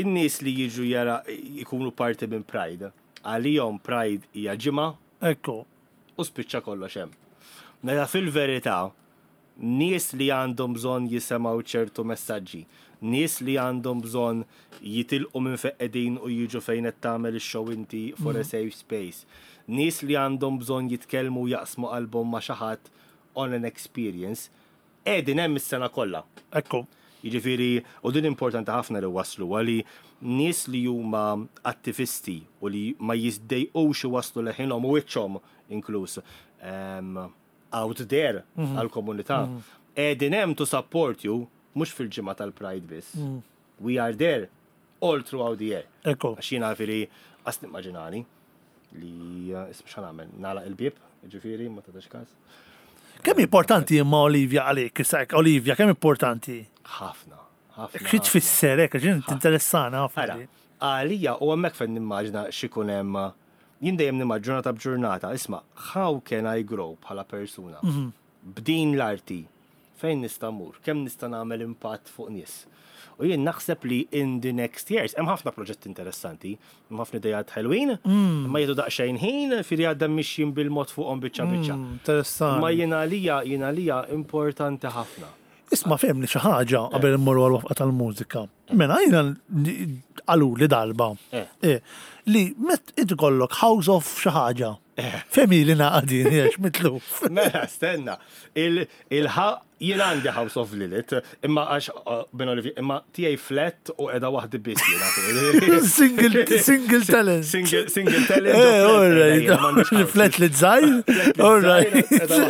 in-nies li jiġu jara jkunu parti minn Pride, għalihom Pride hija ġimgħa. Ekku. U spiċċa kollox hemm. Mela fil-verità, nies li għandhom bżonn jisemgħu ċertu messaġġi, nies li għandhom bżonn jitilqu minn fejn qegħdin u jiġu fejn qed tagħmel ix-show inti for a safe space, nies li għandhom bżonn jitkellmu u jaqsmu qalbhom ma' xi ħadd on an experience, qegħdin hemm is-sena kollha. Ekku. Jiġifieri, u din importanti ħafna li wassluha li nies li huma attivisti u li ma jiddejqux iwasslu leħinhom u wiċċhom inkluż out there għall-komunità, qegħdin hemm to support you mhux fil-ġimgħa tal-Pride biss. We are there all throughout the year. Ekku. Għax jiena ġifieri qas nimmaġinani li isma' x'ħa nagħmel, nagħlaq il-bieb, ġifieri ma tagħtix każ. Kemm importanti imma Olivia għalik, issa hekk Olivia, kemm importanti? Ħafna, ħafna. Xi tfisser hekk, għax int tinteressana ħafna. Ara, għalija u hemmhekk fejn nimmaġina x'ikun hemm jien dejjem nimmaġina ġurnata b'ġurnata, isma' how can I grow bħala persuna? B'din l-arti, fejn nista' mmur, kemm nista' nagħmel impatt fuq nies. U jien naħseb li in the next years, hemm ħafna proġetti interessanti, hemm ħafna idejat ħelwin, imma jieħdu daqsxejn ħin, fieri għadda mixjin bil-mod fuqhom biċċa biċċa. Interessanti. Imma jien għalija, jien għalija importanti ħafna. Isma' fehmni xi ħaġa qabel immorru għall-wafqa tal-mużika. Mela jiena qaluli darba li met inti kollok house of xi ħaġa. Fehmi li naqa' din għax mitluf. Mela stenna, il-ħa jien għandi House of Lilith, imma għax bin Olivier, imma tiegħi flat u qiegħda waħdi biss jiena. Single, single talent. Single, single talent. Eh, all right. Flat li żgħir. All right.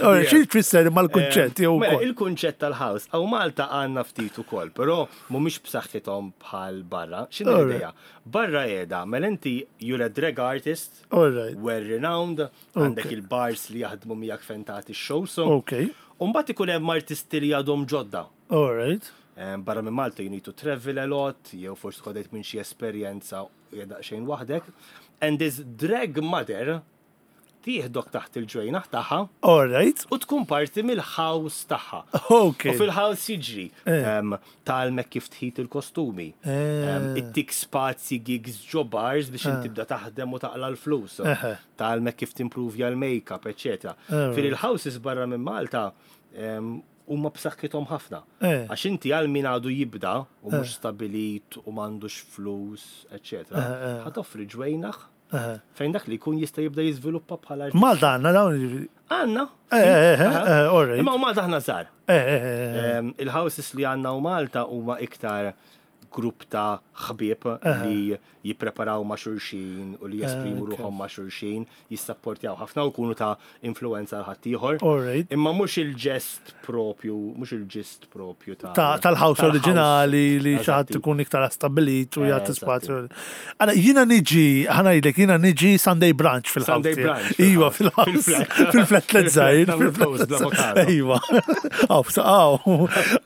All right, xi tfisser imma l-kunċett jew Mela, il-kunċett tal-house, hawn Malta għandna ftit ukoll, però mhumiex b'saħħithom bħal barra. X'inhi l-idea? Barra qiegħda, mela inti you're a drag artist, All right. well renowned, għandek il-bars li jaħdmu miegħek fejn tagħti x-shows. Okay. U mbagħad ikun hemm artisti li għadhom ġodda. All right. Barra minn Malta you need to travel a lot, jew forsi tkun għaddejt minn xi esperjenza u daqsxejn waħdek. And this drag mother. Tieħdok taħt il-ġwejnaħ tagħha. All right. U tkun parti mill-house tagħha. Ok. U fil-house jiġri. Eh. Tgħallmek kif tħit il-kostumi. Eh. Ittik spazji gigs ġo bars biex inti eh. tibda taħdem u taqla l-flus. Tgħallmek kif timpruvja l-makeup, eċetera. Fil-houses barra minn Malta huma b'saħħithom ħafna. Għax inti għal min għadu jibda u mhux stabilit u m'għandux flus, eċetera. Ħa toffri ġwejnaħ Fejn dak li jkun jista' jibda jiżviluppa bħala artist. Malta għandna dawn jiġifieri. Għandna. Eh, eh, eh, all right. Imma Malta aħna żgħar. Il-houses li għandna u Malta huma iktar grupp ta' ħbieb li jippreparaw ma' xulxin u li jesprimu ruħhom ma' xulxin, jissapportjaw ħafna u jkunu ta' influenza għal ħaddieħor. Imma mhux il-ġest propju, mhux il-ġist propju ta' tal-house oriġinali li xi ħadd ikun iktar stabbilit u jagħti spazju. Għala jiena niġi, ħa ngħidlek, jiena niġi Sunday brunch fil-house. Sunday brunch. Iva, fil-house. Fil-flat let żgħir. Iva. Aw, aw.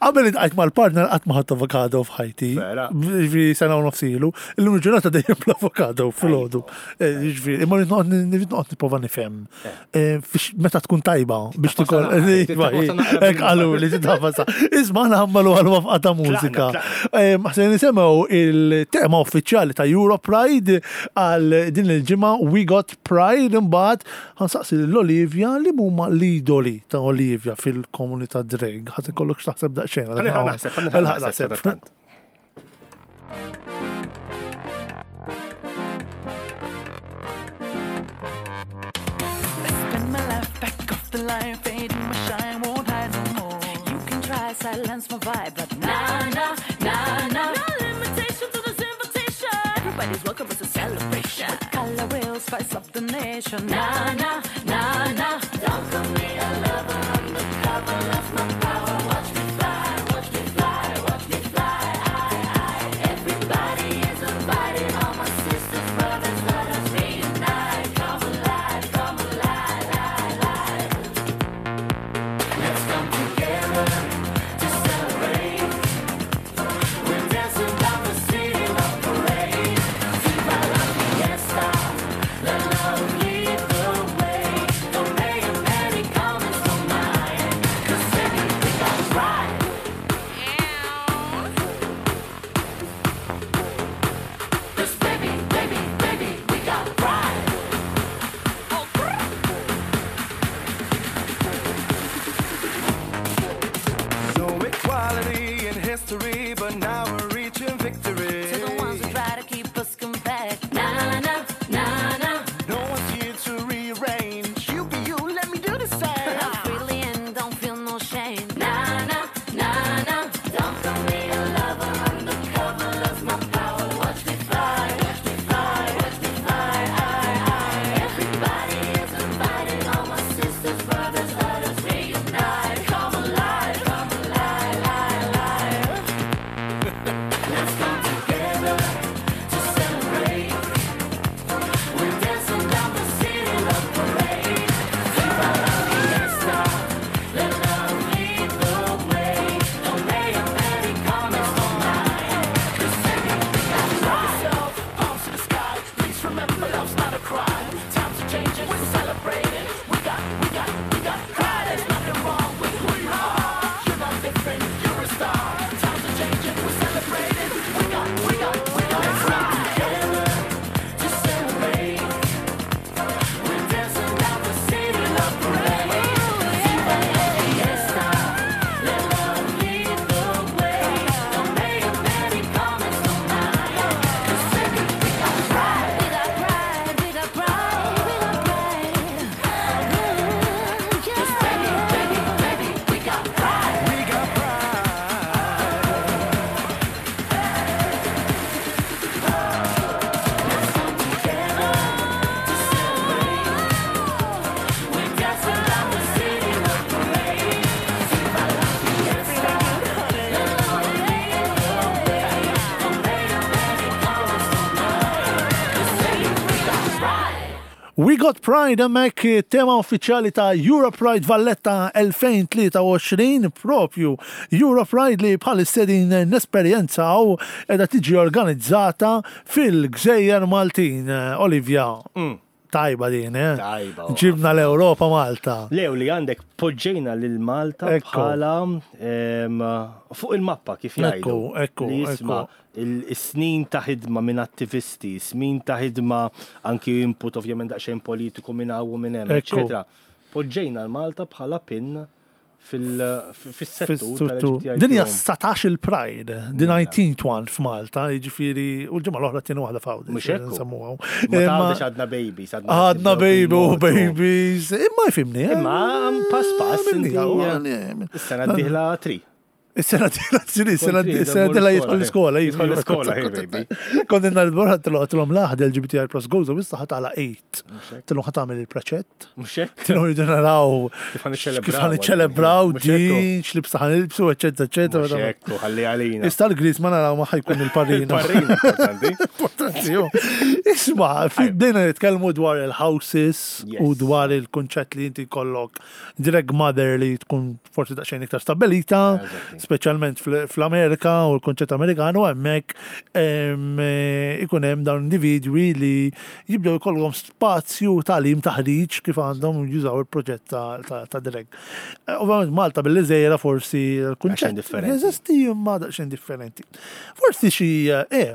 Qabel intqajt mal-partner qatt ma ħadt avokado f'ħajti. Ġifieri sena u nofs ilu. Illum il-ġurnata dejjem bl-avokado filgħodu. Eh, jiġifieri, imma rrid noqgħod nipprova nifhem. Eh. Eh, meta tkun tajba biex tikol. Iva, hekk qalu li titafasa. Isma' aħna ħammalu għal wafqa ta' mużika. Ħsen nisimgħu il-tema uffiċjali ta' Euro Pride għal din il-ġimgħa We Got Pride imbagħad ħansaqsi lil Olivia li huma l-idoli ta' Olivia fil-komunità drag. Ħadd ikollok x'taħseb daqsxejn. Naħseb. Silence my vibe, but nah, nah, nah, nah. No limitation to this invitation. Everybody's welcome, it's a celebration. With color will spice up the nation. Nah, nah, nah, nah. Don't call me a lover undercover, lost my power. Watch me fly, watch me fly, watch me fly. I, I. Everybody is invited, all my sisters, brothers, let us reunite. Come alive, come alive, alive, alive. Let's come together to celebrate. We're dancing down the city love parade. Viva la fiesta, let love lead the way. Don't pay 'em any comments, don't mind. 'Cause baby, we got pride. 'Cause baby, baby, baby, we got pride. No equality in history, but now we're reaching victory. To the ones who try to keep us compact. Na na na na. No one's here to rearrange. You be you, let me do the same. Love freely and don't feel no shame. Na na na na. Don't call me a lover undercover. Lost my power. Watch me fly, watch me fly, watch me fly. I, I. Everybody is invited. All my sisters, brothers, let us reunite. Come alive, come alive, alive, alive. Let's come together to celebrate. We're dancing down the city love parade. Viva la fiesta, let love lead the way. Don't pay 'em any comments, don't mind. 'Cause baby, we got pride. Yourself, palms to the sky. Please remember, love's not a crime. Times are changing, we're celebrating. We got, we got, we got pride. There's nothing wrong with who you are. You're not different, you're a star. Times are changing, we're celebrating. We got, we got, we got pride. Together to celebrate. We're dancing down the city love parade. Viva la fiesta, let love lead the way. Don't pay 'em any comments, don't mind. 'Cause baby, we got pride. We got pride, we got pride, we got pride. Ooh, yeah. 'Cause baby, baby, baby, we got pride. We got pride. Let's come together to celebrate. We're dancing down the city love parade. Viva la fiesta, let love lead the way. Don't pay 'em any comments, don't mind. 'Cause baby, we got pride. We Got Pride hemmhekk tema uffiċjali ta' Europride Valletta 2023 propju Europride li bħalissa qegħdin nesperjenzaw qiegħda tiġi organizzata fil-Gżejjer Maltin. Olivia, mm. Tajba din, eh? Tajba. Ġibna l-Ewropa Malta. Lew li għandek poġġejna lil Malta bħala fuq il-mappa kif jgħidu. Ekku, ekku. Li jisma' is-snin ta' ħidma minn attivisti, snin ta' ħidma anki input ovvjament daqsxejn politiku minn hawn u minn hemm, eċetera. Poġġejna l-Malta bħala pin fil-settur. Din hija 19 il-Pride, the 19th one f'Malta, jiġifieri u l-ġimgħa l-oħra tieni waħda f'Għawdex. Mhux hekk. Nsemmuha. Imma għadna babies, għadna baby u babies. Imma jfimni. Eh? Imma pass pass. Is-sena d-dieħla tri. Is-sena d-dieħla tri, is-sena d-dieħla jidħol l-iskola. Jidħol l-iskola, baby. Kont inna l-borħa tilhom laħd LGBTI plus goes u issa ħatala 8. Tilhom ħatamel il-preċett. Mhux hekk? Tilhom jridu naraw kif ħan iċċelebraw din, x'libsa ħan ilbsu, eċetera, eċetera. Mhux hekk, ħalli għalina. Issa l-Gris ma naraw ma ħajkun il-parrino. Il-parrino importanti. Importanti, jo. Isma, bdejna nitkellmu dwar il-houses u dwar il-kunċett li inti jkollok drag mother li tkun forsi daqsxejn iktar stabbilita, speċjalment fl-Amerika u l-konċett Amerikan u hemmhekk eh, ikun hemm dawn individwi li jibdew jkollhom spazju tagħlim taħriġ kif għandhom jużaw il-proġett ta' drag. Eh, ovvjament Malta billi żejra forsi l-kunċett jeżisti imma daqsxejn differenti. Forsi xi eh,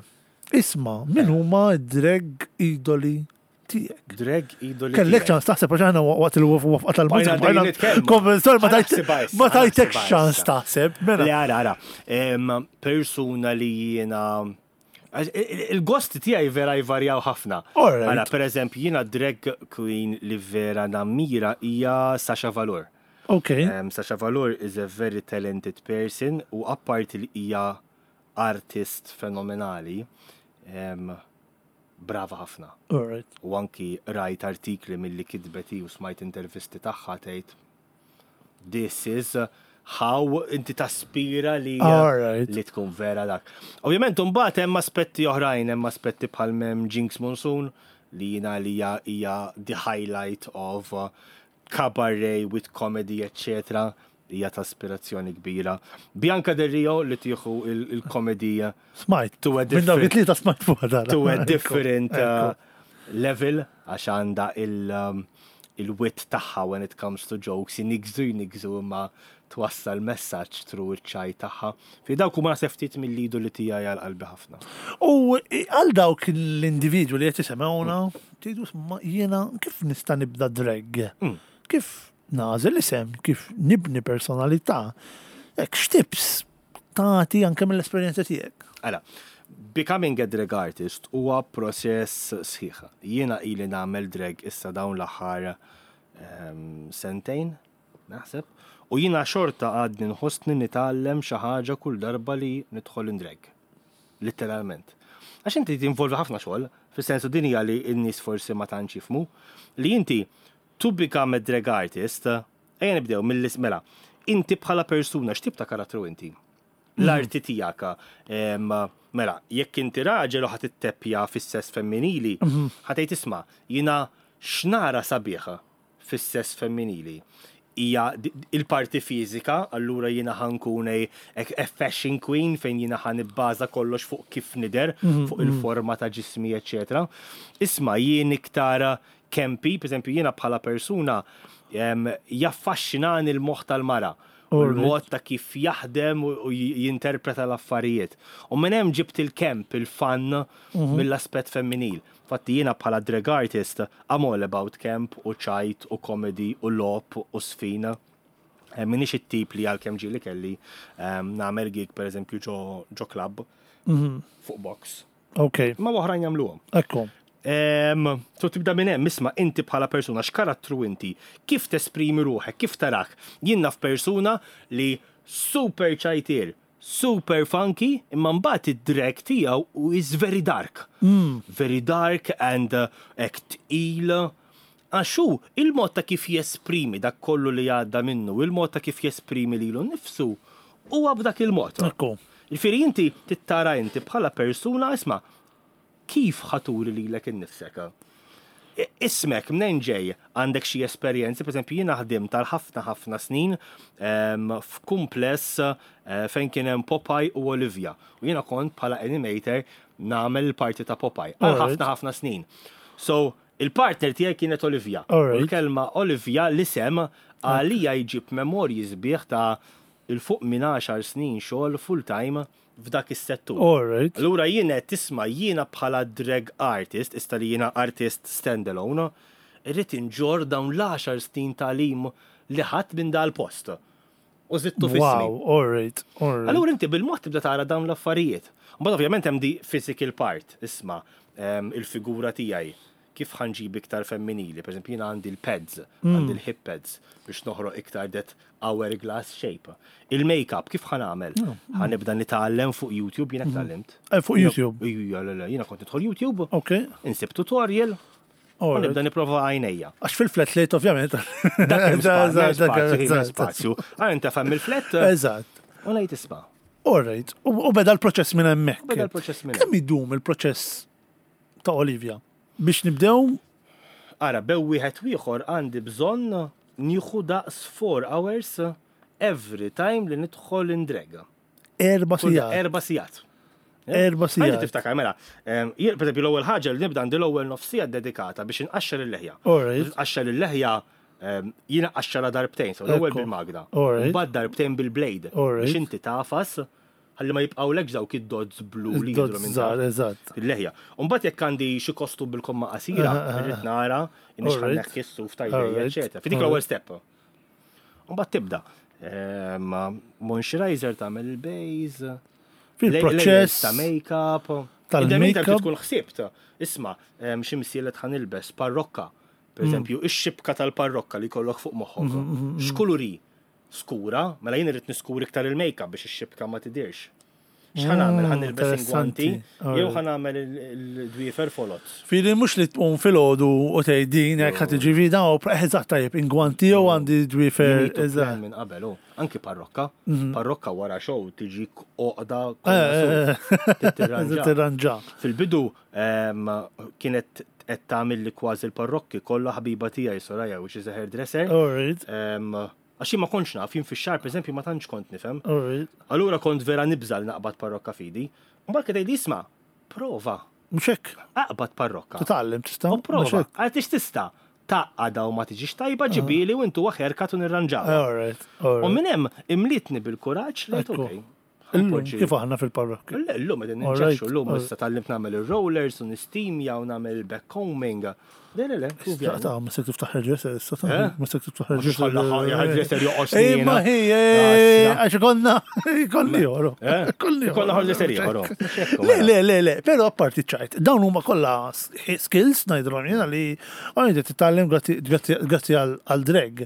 isma' min huma d-drag idoli tiegħek. Drag idoli. Kellek ċans taħseb għax aħna waqt il-waqfa tal-mużika. Konvenzjoni ma tajtek ċans taħseb. Mela. Le ara ara. Persuna li jiena Il-gosti tiegħi vera jvarjaw ħafna. Mela, per eżempju, jiena drag queen li vera nammira hija Sasha Valor. Ok. Sasha Valor is a very talented person u apparti li hija artist fenomenali, brava ħafna. Alright. U anki rajt artikli milli kitbet hi u smajt intervisti tagħha tgħid this is how inti taspira li Alright. li tkun vera dak. Ovvjament imbagħad hemm aspetti oħrajn, hemm aspetti bħal m'hemm Jinx Monsoon li jiena li hija the highlight of uh, cabaret with comedy etc. Hija ta' aspirazzjoni kbira. Bianca Del Rio li tieħu il-komedija. Smajt. To a Minn dawk it-tlieta smajt fuq dan. To a different uh, level għax għandha um, il-wit tagħha when it comes to jokes, jinigżu jinigżu imma twassal messaġġ through iċ-ċaj tagħha. Fi dawk huma naħseb ftit mill-lidu li tiegħi għal qalbi ħafna. U għal dawk l-individwi li qed jisemgħuna, tgħidu jiena kif nista' nibda drag? Mm. Kif nagħżel isem, kif nibni personalità? Hekk x'tips tagħti anke mill-esperjenza tiegħek? Ara, becoming a drag artist huwa proċess sħiħ. Jiena ili nagħmel drag issa dawn l-aħħar ehm, sentejn, naħseb. U jiena xorta għadni nħossni nitgħallem xi ħaġa kull darba li nidħol in drag. Litteralment. Għax inti tinvolvi ħafna xogħol, fis-sensu din hija li n-nies forsi ma tantx jifhmu, li inti to become a drag artist, ejja nibdew mill mela, inti bħala persuna x'tip ta' karattru inti? L-arti tiegħek. Mela, jekk inti raġel u ħa titteppja fis-sess femminili, ħa tgħid isma' jiena x'nara sabiħ fis-sess femminili hija il-parti fiżika, allura jiena ħa nkun a fashion queen fejn jiena ħa nibbaża kollox fuq kif nidher, mhm, fuq mhm. il-forma ta' ġismi, eċetera. Isma' jien iktar campy, pereżempju jiena bħala persuna jaffaxxinani l-moħħ tal-mara u l-mod ta' kif jaħdem u jinterpreta l-affarijiet. U minn hemm ġibt il-camp, il-fun mhm. mill-aspett femminil. Infatti jiena bħala drag artist I'm all about camp u ċajt u comedy u logħob u żfin. M'iniex it-tip li għalkemm ġieli kelli nagħmel gig pereżempju ġo ġo club fuq box. Ok. Ma oħrajn jagħmluhom. Ekku. So tibda minn hemm, isma' inti bħala persuna x'karattru inti, kif tesprimi ruħek, kif tarak. Jien naf persuna li super ċajtier, super funky, imma mbagħad id-drag tiegħu is very dark. Mm. Very dark and uh, hekk tqil. Għax hu il-mod ta' kif jesprimi dak kollu li għadda minnu, il-mod ta' kif jesprimi lilu nnifsu, huwa b'dak il-mod. Ekku. Ġifieri inti tittara inti bħala persuna isma' Kif ħa turi lilek innifsek? Ismek mnejn ġej? Għandek xi esperjenzi? Pereżempju, jiena ħdimt għal ħafna ħafna snin ehm, f'kumpless eh, fejn kien hemm Popeye u Olivia. U jiena kont bħala animator nagħmel il-parti ta' Popeye għal ħafna ħafna snin. So, Il-partner tiegħi kienet Olivia. U l-kelma Olivia l-isem għalija jġib memorji sbieħ ta' 'il fuq minn għaxar snin xogħol full-time f'dak is-settur. Allura jien għedt isma' jiena bħala drag artist, issa li jiena artist stand-alone, irrid inġorr dawn l-għaxar snin tagħlim li ħadt minn dal-post. U żidtu f'ismi. Wow, alright, alright. Allura inti bil-mod tibda tara dawn l-affarijiet. Mbagħad ovvjament hemm di physical part, isma' il-figura tiegħi kif ħa nġib iktar femminili, per eżempju jiena għandi l-pads, għandi l-hip pads biex noħroq iktar that hourglass shape. Il-makeup kif ħa nagħmel? Ħa nibda nitgħallem fuq YouTube, jiena tgħallimt. Fuq YouTube? Ija, le, le, jiena kont nidħol YouTube, insib tutorial, u nibda nipprova għajnejja. Għax fil-flat late ovvjament. Dak hemm spazju. Għaj inta fem il-flat. Eżatt. U ngħid isma'. All right. U beda l-proċess minn hemmhekk. Beda l-proċess minn Kemm idum il-proċess ta' Olivia? Biex nibdew? Ara, bew wieħed u ieħor għandi bżonn nieħu daqs 4 hours every time li nidħol in drag. 4 sigħat. 4 sigħat. 4 sigħat. Għandi tiftakar, mela, jien, per eżempju, l-ewwel ħaġa li nibda għandi l-ewwel nofs siegħa dedikata biex inqaxxar il-leħja. Nqaxxar il-leħja, jiena nqaxxarha darbtejn, so l-ewwel bil-magna. Mbagħad darbtejn bil-blade. Biex inti tagħfas ħalli ma jibqgħulekx dawk id-dots blu li jidhru minn taħt. Eżatt. Il-leħja. U mbagħad jekk għandi xi kostum bil-komma qasira, irrid nara inix ħa nneħħi s-suf ta' jdejja, eċetera. Fi dik l-ewwel step. U mbagħad tibda. Moisturizer tagħmel il-base. Fil-proċess ta' make-up. Tal-make-up. Tkun ħsibt. Isma', xi msielet ħa nilbes, parrokka. Per eżempju, ix-xibka tal-parrokka li jkollok fuq moħħok. X'kulur hi? Skura, mela jien irrid niskur iktar il-make-up biex ix-xibka ma tidhirx. X'ħa nagħmel? Ħa nilbes ingwanti jew ħa nagħmel il-dwiefer foloz? Fili mhux li tqum filgħodu u tgħid din hekk ħa tiġi fi dawn eżatt tajjeb ingwanti jew għandi dwiefer. Eżatt. Minn qabel hu. Anki parrokka. Parrokka wara show tiġik għoqda kollha. Tirranġa. Fil-bidu kienet qed tagħmilli kważi l-parrokki kollha ħabiba tiegħi Soraya, which is a hairdresser. Għax jien ma kontx naf, jien fix-xagħar pereżempju ma tantx kont nifhem. Allura kont vera nibża' li naqbad parrokka f'idi. Mbagħad kien tgħidli isma' prova. Mhux hekk. Aqbad parrokka. Titgħallem tista'. U prova. Għaliex tista' tgħaqqadha u ma tiġix tajba ġibieli u intuha haircut u nirranġawha. U minn hemm imlietni bil-kuraġġ li għedt okej. Illum kif aħna fil-parrokki? Le, illum qegħdin ninġexxu, illum issa tgħallimt nagħmel ir-rollers u nistimja u nagħmel il-backcombing. Le, le, le. Ta' ma se tiftaħ hairdresser issa ta' eh? ma se tiftaħ hairdresser. Hairdresser joqgħod snin. Ma hi, għax konna konna ieħor. Eh? Konna hairdresser ieħor. Le, le, le, le, però apparti ċajt, dawn huma kollha skills ngħidulhom jiena li għandi titgħallem grazzi għal drag.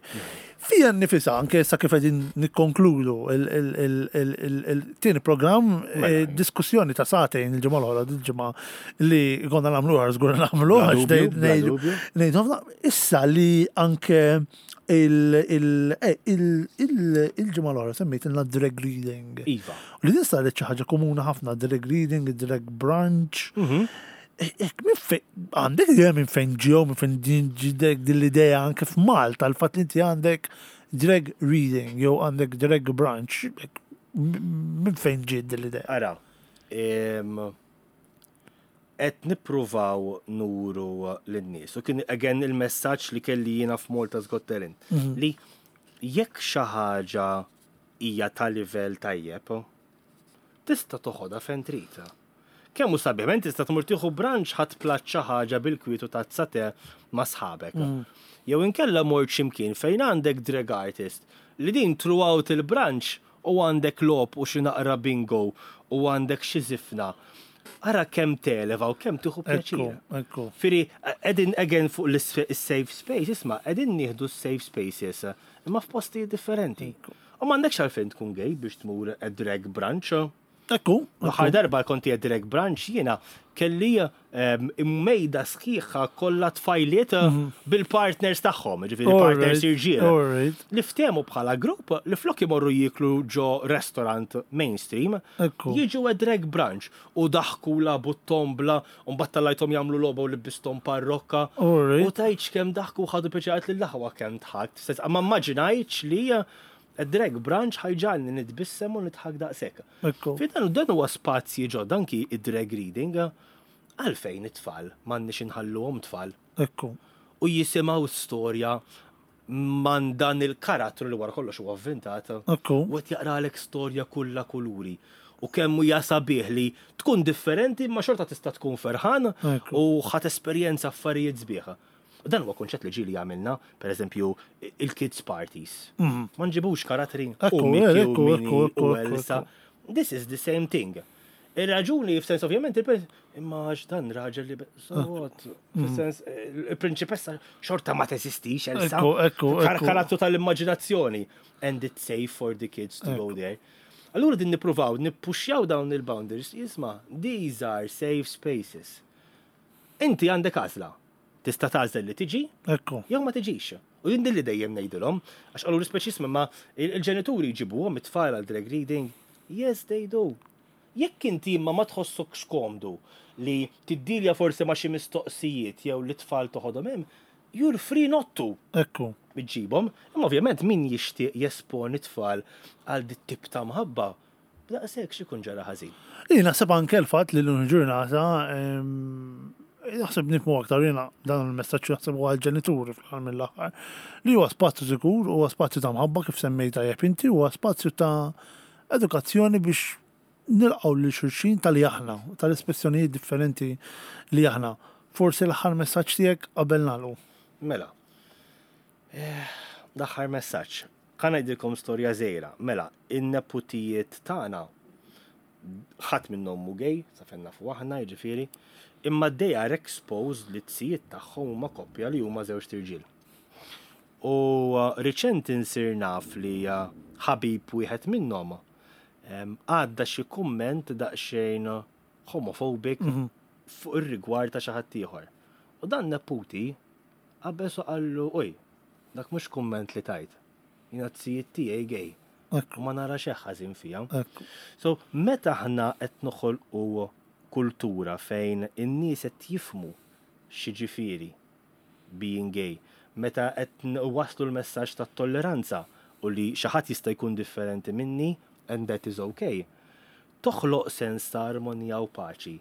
Fija nnifisha, anke issa kif qegħdin nikkonkludu il-tieni programm, mela. diskussjoni ta' sagħtejn il-ġimgħa l-oħra, il-ġimgħa li konna nagħmlu għar żgur nagħmlu għax ngħidu ħafna. Issa li anke il-ġimgħa l-oħra semmejt ilna drag reading. Iva. Li din saret xi ħaġa komuna ħafna drag reading, drag brunch. Mhm. Ek, minn fejn, għandek idea minn fejn ġew, minn fejn din ġidek din l-idea anke f'Malta, l-fatt li inti għandek drag reading jew għandek drag brunch, minn fejn ġiet din l-idea? Ara, qed nippruvaw nuru lin-nies. U kien again il-messaġġ li kelli jiena f'Malta's Got Talent mhm. li jekk xi ħaġa hija ta' livell tajjeb, tista' toħodha fejn trid. Kemm hu sabiħ, mela tista' tmur tieħu brunch ħadt platt xi ħaġa bil-kwiet u tazza te ma' sħabek. Jew inkella mort xi mkien fejn għandek drag artist li din throughout il-brunch u għandek logħob u xi naqra bingo u għandek xi żifna. Ara kemm televa u kemm tieħu pjaċir. Fieri qegħdin again fuq l-safe space, isma' qegħdin nieħdu s-safe spaces imma f'postijiet differenti. U m'għandekx għalfejn tkun gay biex tmur drag brunch. Ekku. L-aħħar darba kont qiegħed drag brunch jiena kelli ehm, mejda sħiħa kollha tfajliet mhm. bil-partners tagħhom, ġifieri partners irġiel. Li ftehmu bħala grupp li flok imorru jieklu ġo restaurant mainstream, jiġu drag brunch u daħku labu tombla u mbagħad tallajthom jagħmlu logħba u libbisthom parrokka. U tgħidx kemm daħku ħadu pjaċir lil aħwa kemm dħakt. Ma immaġinajtx li Id-drag brunch ħa jġagħalni nitbissem u nidħak daqshekk. Ekku. Fi dan dan huwa spazji ġodda anki id-drag reading. Għalfejn it-tfal m'għandniex inħalluhom tfal? Ekku. U jisimgħu storja man dan il-karattru li wara kollox huwa avventat. Ekku. U qed jaqralek storja kollha kuluri. U kemm hija sabiħ li tkun differenti imma xorta tista' tkun ferħan u ħadd esperjenza affarijiet sbieħ. U dan huwa kunċett li ġieli għamilna, per eżempju, il-kids parties. Mhm. Ma nġibux karattri u Mickey u Minnie u Elsa. This is the same thing. Ir-raġuni, f'sens ovvjament, imma għax dan raġel li so what, f'sens, il-prinċipessa xorta ma teżistix, Elsa. Ekku, ekku, ekku. Karattru tal-immaġinazzjoni. And it's safe for the kids to go there. Allura din nippruvaw, nippuxjaw dawn il-boundaries, jisma, these are safe spaces. Inti għandek għażla. Tista' tagħżel li tiġi, Ekku. jew ma tiġix. U jien din li dejjem ngħidilhom, għax qalu l-ispeċismi ma il-ġenituri jġibuhom it-tfal għal drag reading. Yes, they do. Jekk inti imma ma tħossokx komdu li tiddilja forsi ma' xi mistoqsijiet jew li t-tfal toħodhom hemm, you're free not to. Ekku. Iġġibhom. Imma ovvjament min jixtieq jesponi t-tfal għal dit-tip ta' mħabba, b'daqshekk x'ikun ġara ħażin. Jien naħseb anke l-fatt li llum il-ġurnata naħseb nifhmu aktar jiena dan il-messaġġ naħseb huwa għall-ġenituri fl-aħħar mill-aħħar li huwa spazju sikur, huwa spazju ta' mħabba kif semmejt tajjeb inti, huwa spazju ta' edukazzjoni biex nilqgħu lil xulxin tal-li aħna, tal-espressjonijiet differenti li aħna. Forsi l-aħħar messaġġ tiegħek qabel nagħlqu. Mela. Eh, l-aħħar messaġġ. Ħa ngħidilkom storja żgħira. Mela, in-neputijiet tagħna ħadd minnhom mhu gay, sa fejn nafu aħna, jiġifieri, imma they are exposed li t-sijiet tagħhom huma koppja li huma żewġt irġiel. U riċenti nsir naf li ħabib wieħed minnhom għadda xi kumment daqsxejn homophobic mhm. fuq ir-rigward ta' xi ħadd ieħor. U dan neputi qabeż u qallu oj, dak mhux kumment li tajt. Jiena t-sijiet tiegħi gay. U ma nara xejn ħażin fiha. So, meta aħna qed noħolqu kultura fejn in-nies qed jifhmu x'jiġifieri being gay, meta qed nwasslu l-messaġġ tat-tolleranza u li xi ħadd jista' jkun differenti minni and that is ok, toħloq sens ta' armonija u paċi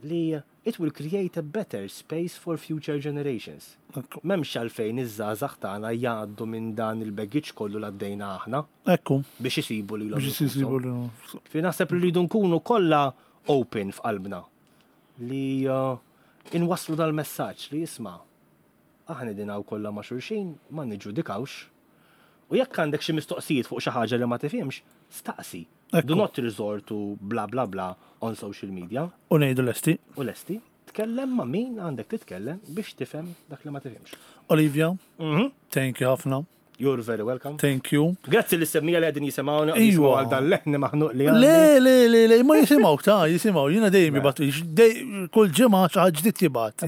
li it will create a better space for future generations. M'hemmx għalfejn iż-żgħażagħ tagħna jgħaddu minn dan il-baggage kollu li għaddejna aħna. Ekku. Biex isibu lilhom Biex isibu lilhom infushom. Fi naħseb li rridu nkunu kollha open f'qalbna. Li inwasslu dal-messaġġ li isma' aħna qegħdin hawn kollha ma' xulxin, ma niġġudikawx. U jekk għandek xi mistoqsijiet fuq xi ħaġa li ma tifhimx, staqsi. Do not resort to bla bla bla on social media. U ngħidu lesti. U lesti. Tkellem ma' min għandek titkellem biex tifhem dak li ma tifhimx. Olivia, mhm. thank you ħafna. You're very welcome. Thank you. Grazzi li semmija li għedin jisimawna. Iwa. Għal dan leħni maħnuq li għandi. Le, le, le, le, ma jisimaw ta' jisimaw. Jina dejjem jibat, kull ġimgħa xi ħaġa ġdid jibat.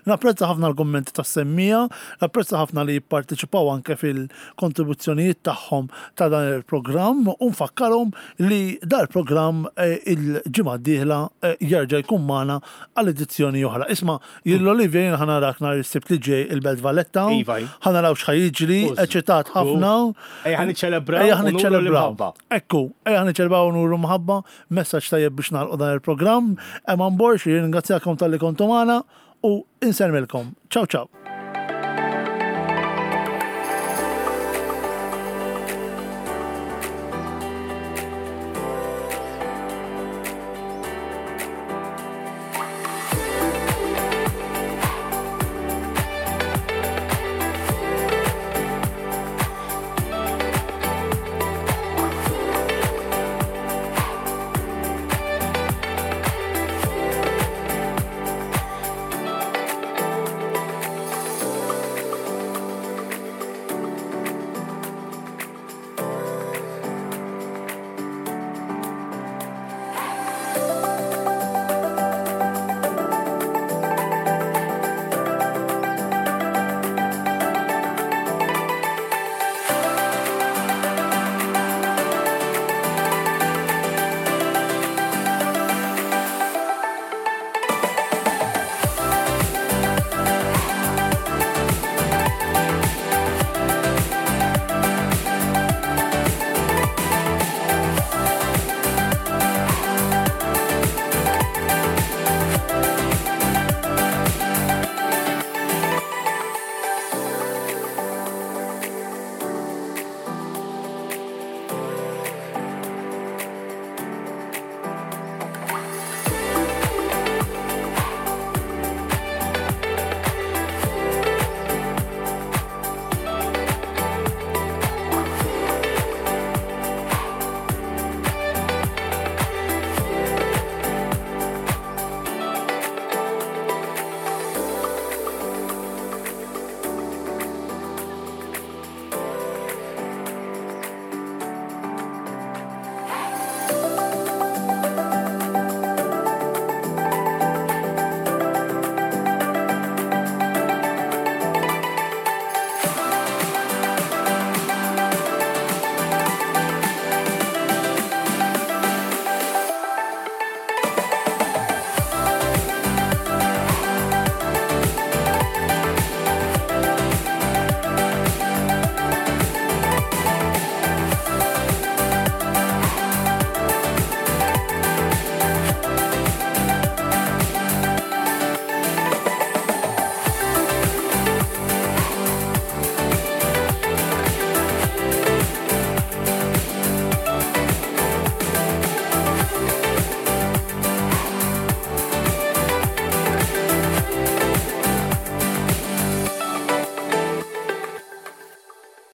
Napprezza ħafna l-kummenti tas semmija, napprezza ħafna li jipparteċipaw anke fil-kontribuzzjonijiet tagħhom ta' dan il-programm u nfakkarhom li dal-programm eh, il-ġimgħa d-dieħla eh, jerġa' jkun magħna għal edizzjoni oħra. Isma' Jien l-Olivia jien ħa narak nhar is-Sibt li ġej il-Belt Valletta. Iva. Ħa naraw x'ħa jiġri, eċitat ħafna. Ejja ħa niċċelebraw. Ejja ħa niċċelebraw. Ekku, ejja ħa niċċelebraw nuru mħabba, messaġġ tajjeb biex nagħlqu dan il-programm. Eman Borg, jirringrazzjakom talli kontu magħna u insellmilkom. Ciao ciao.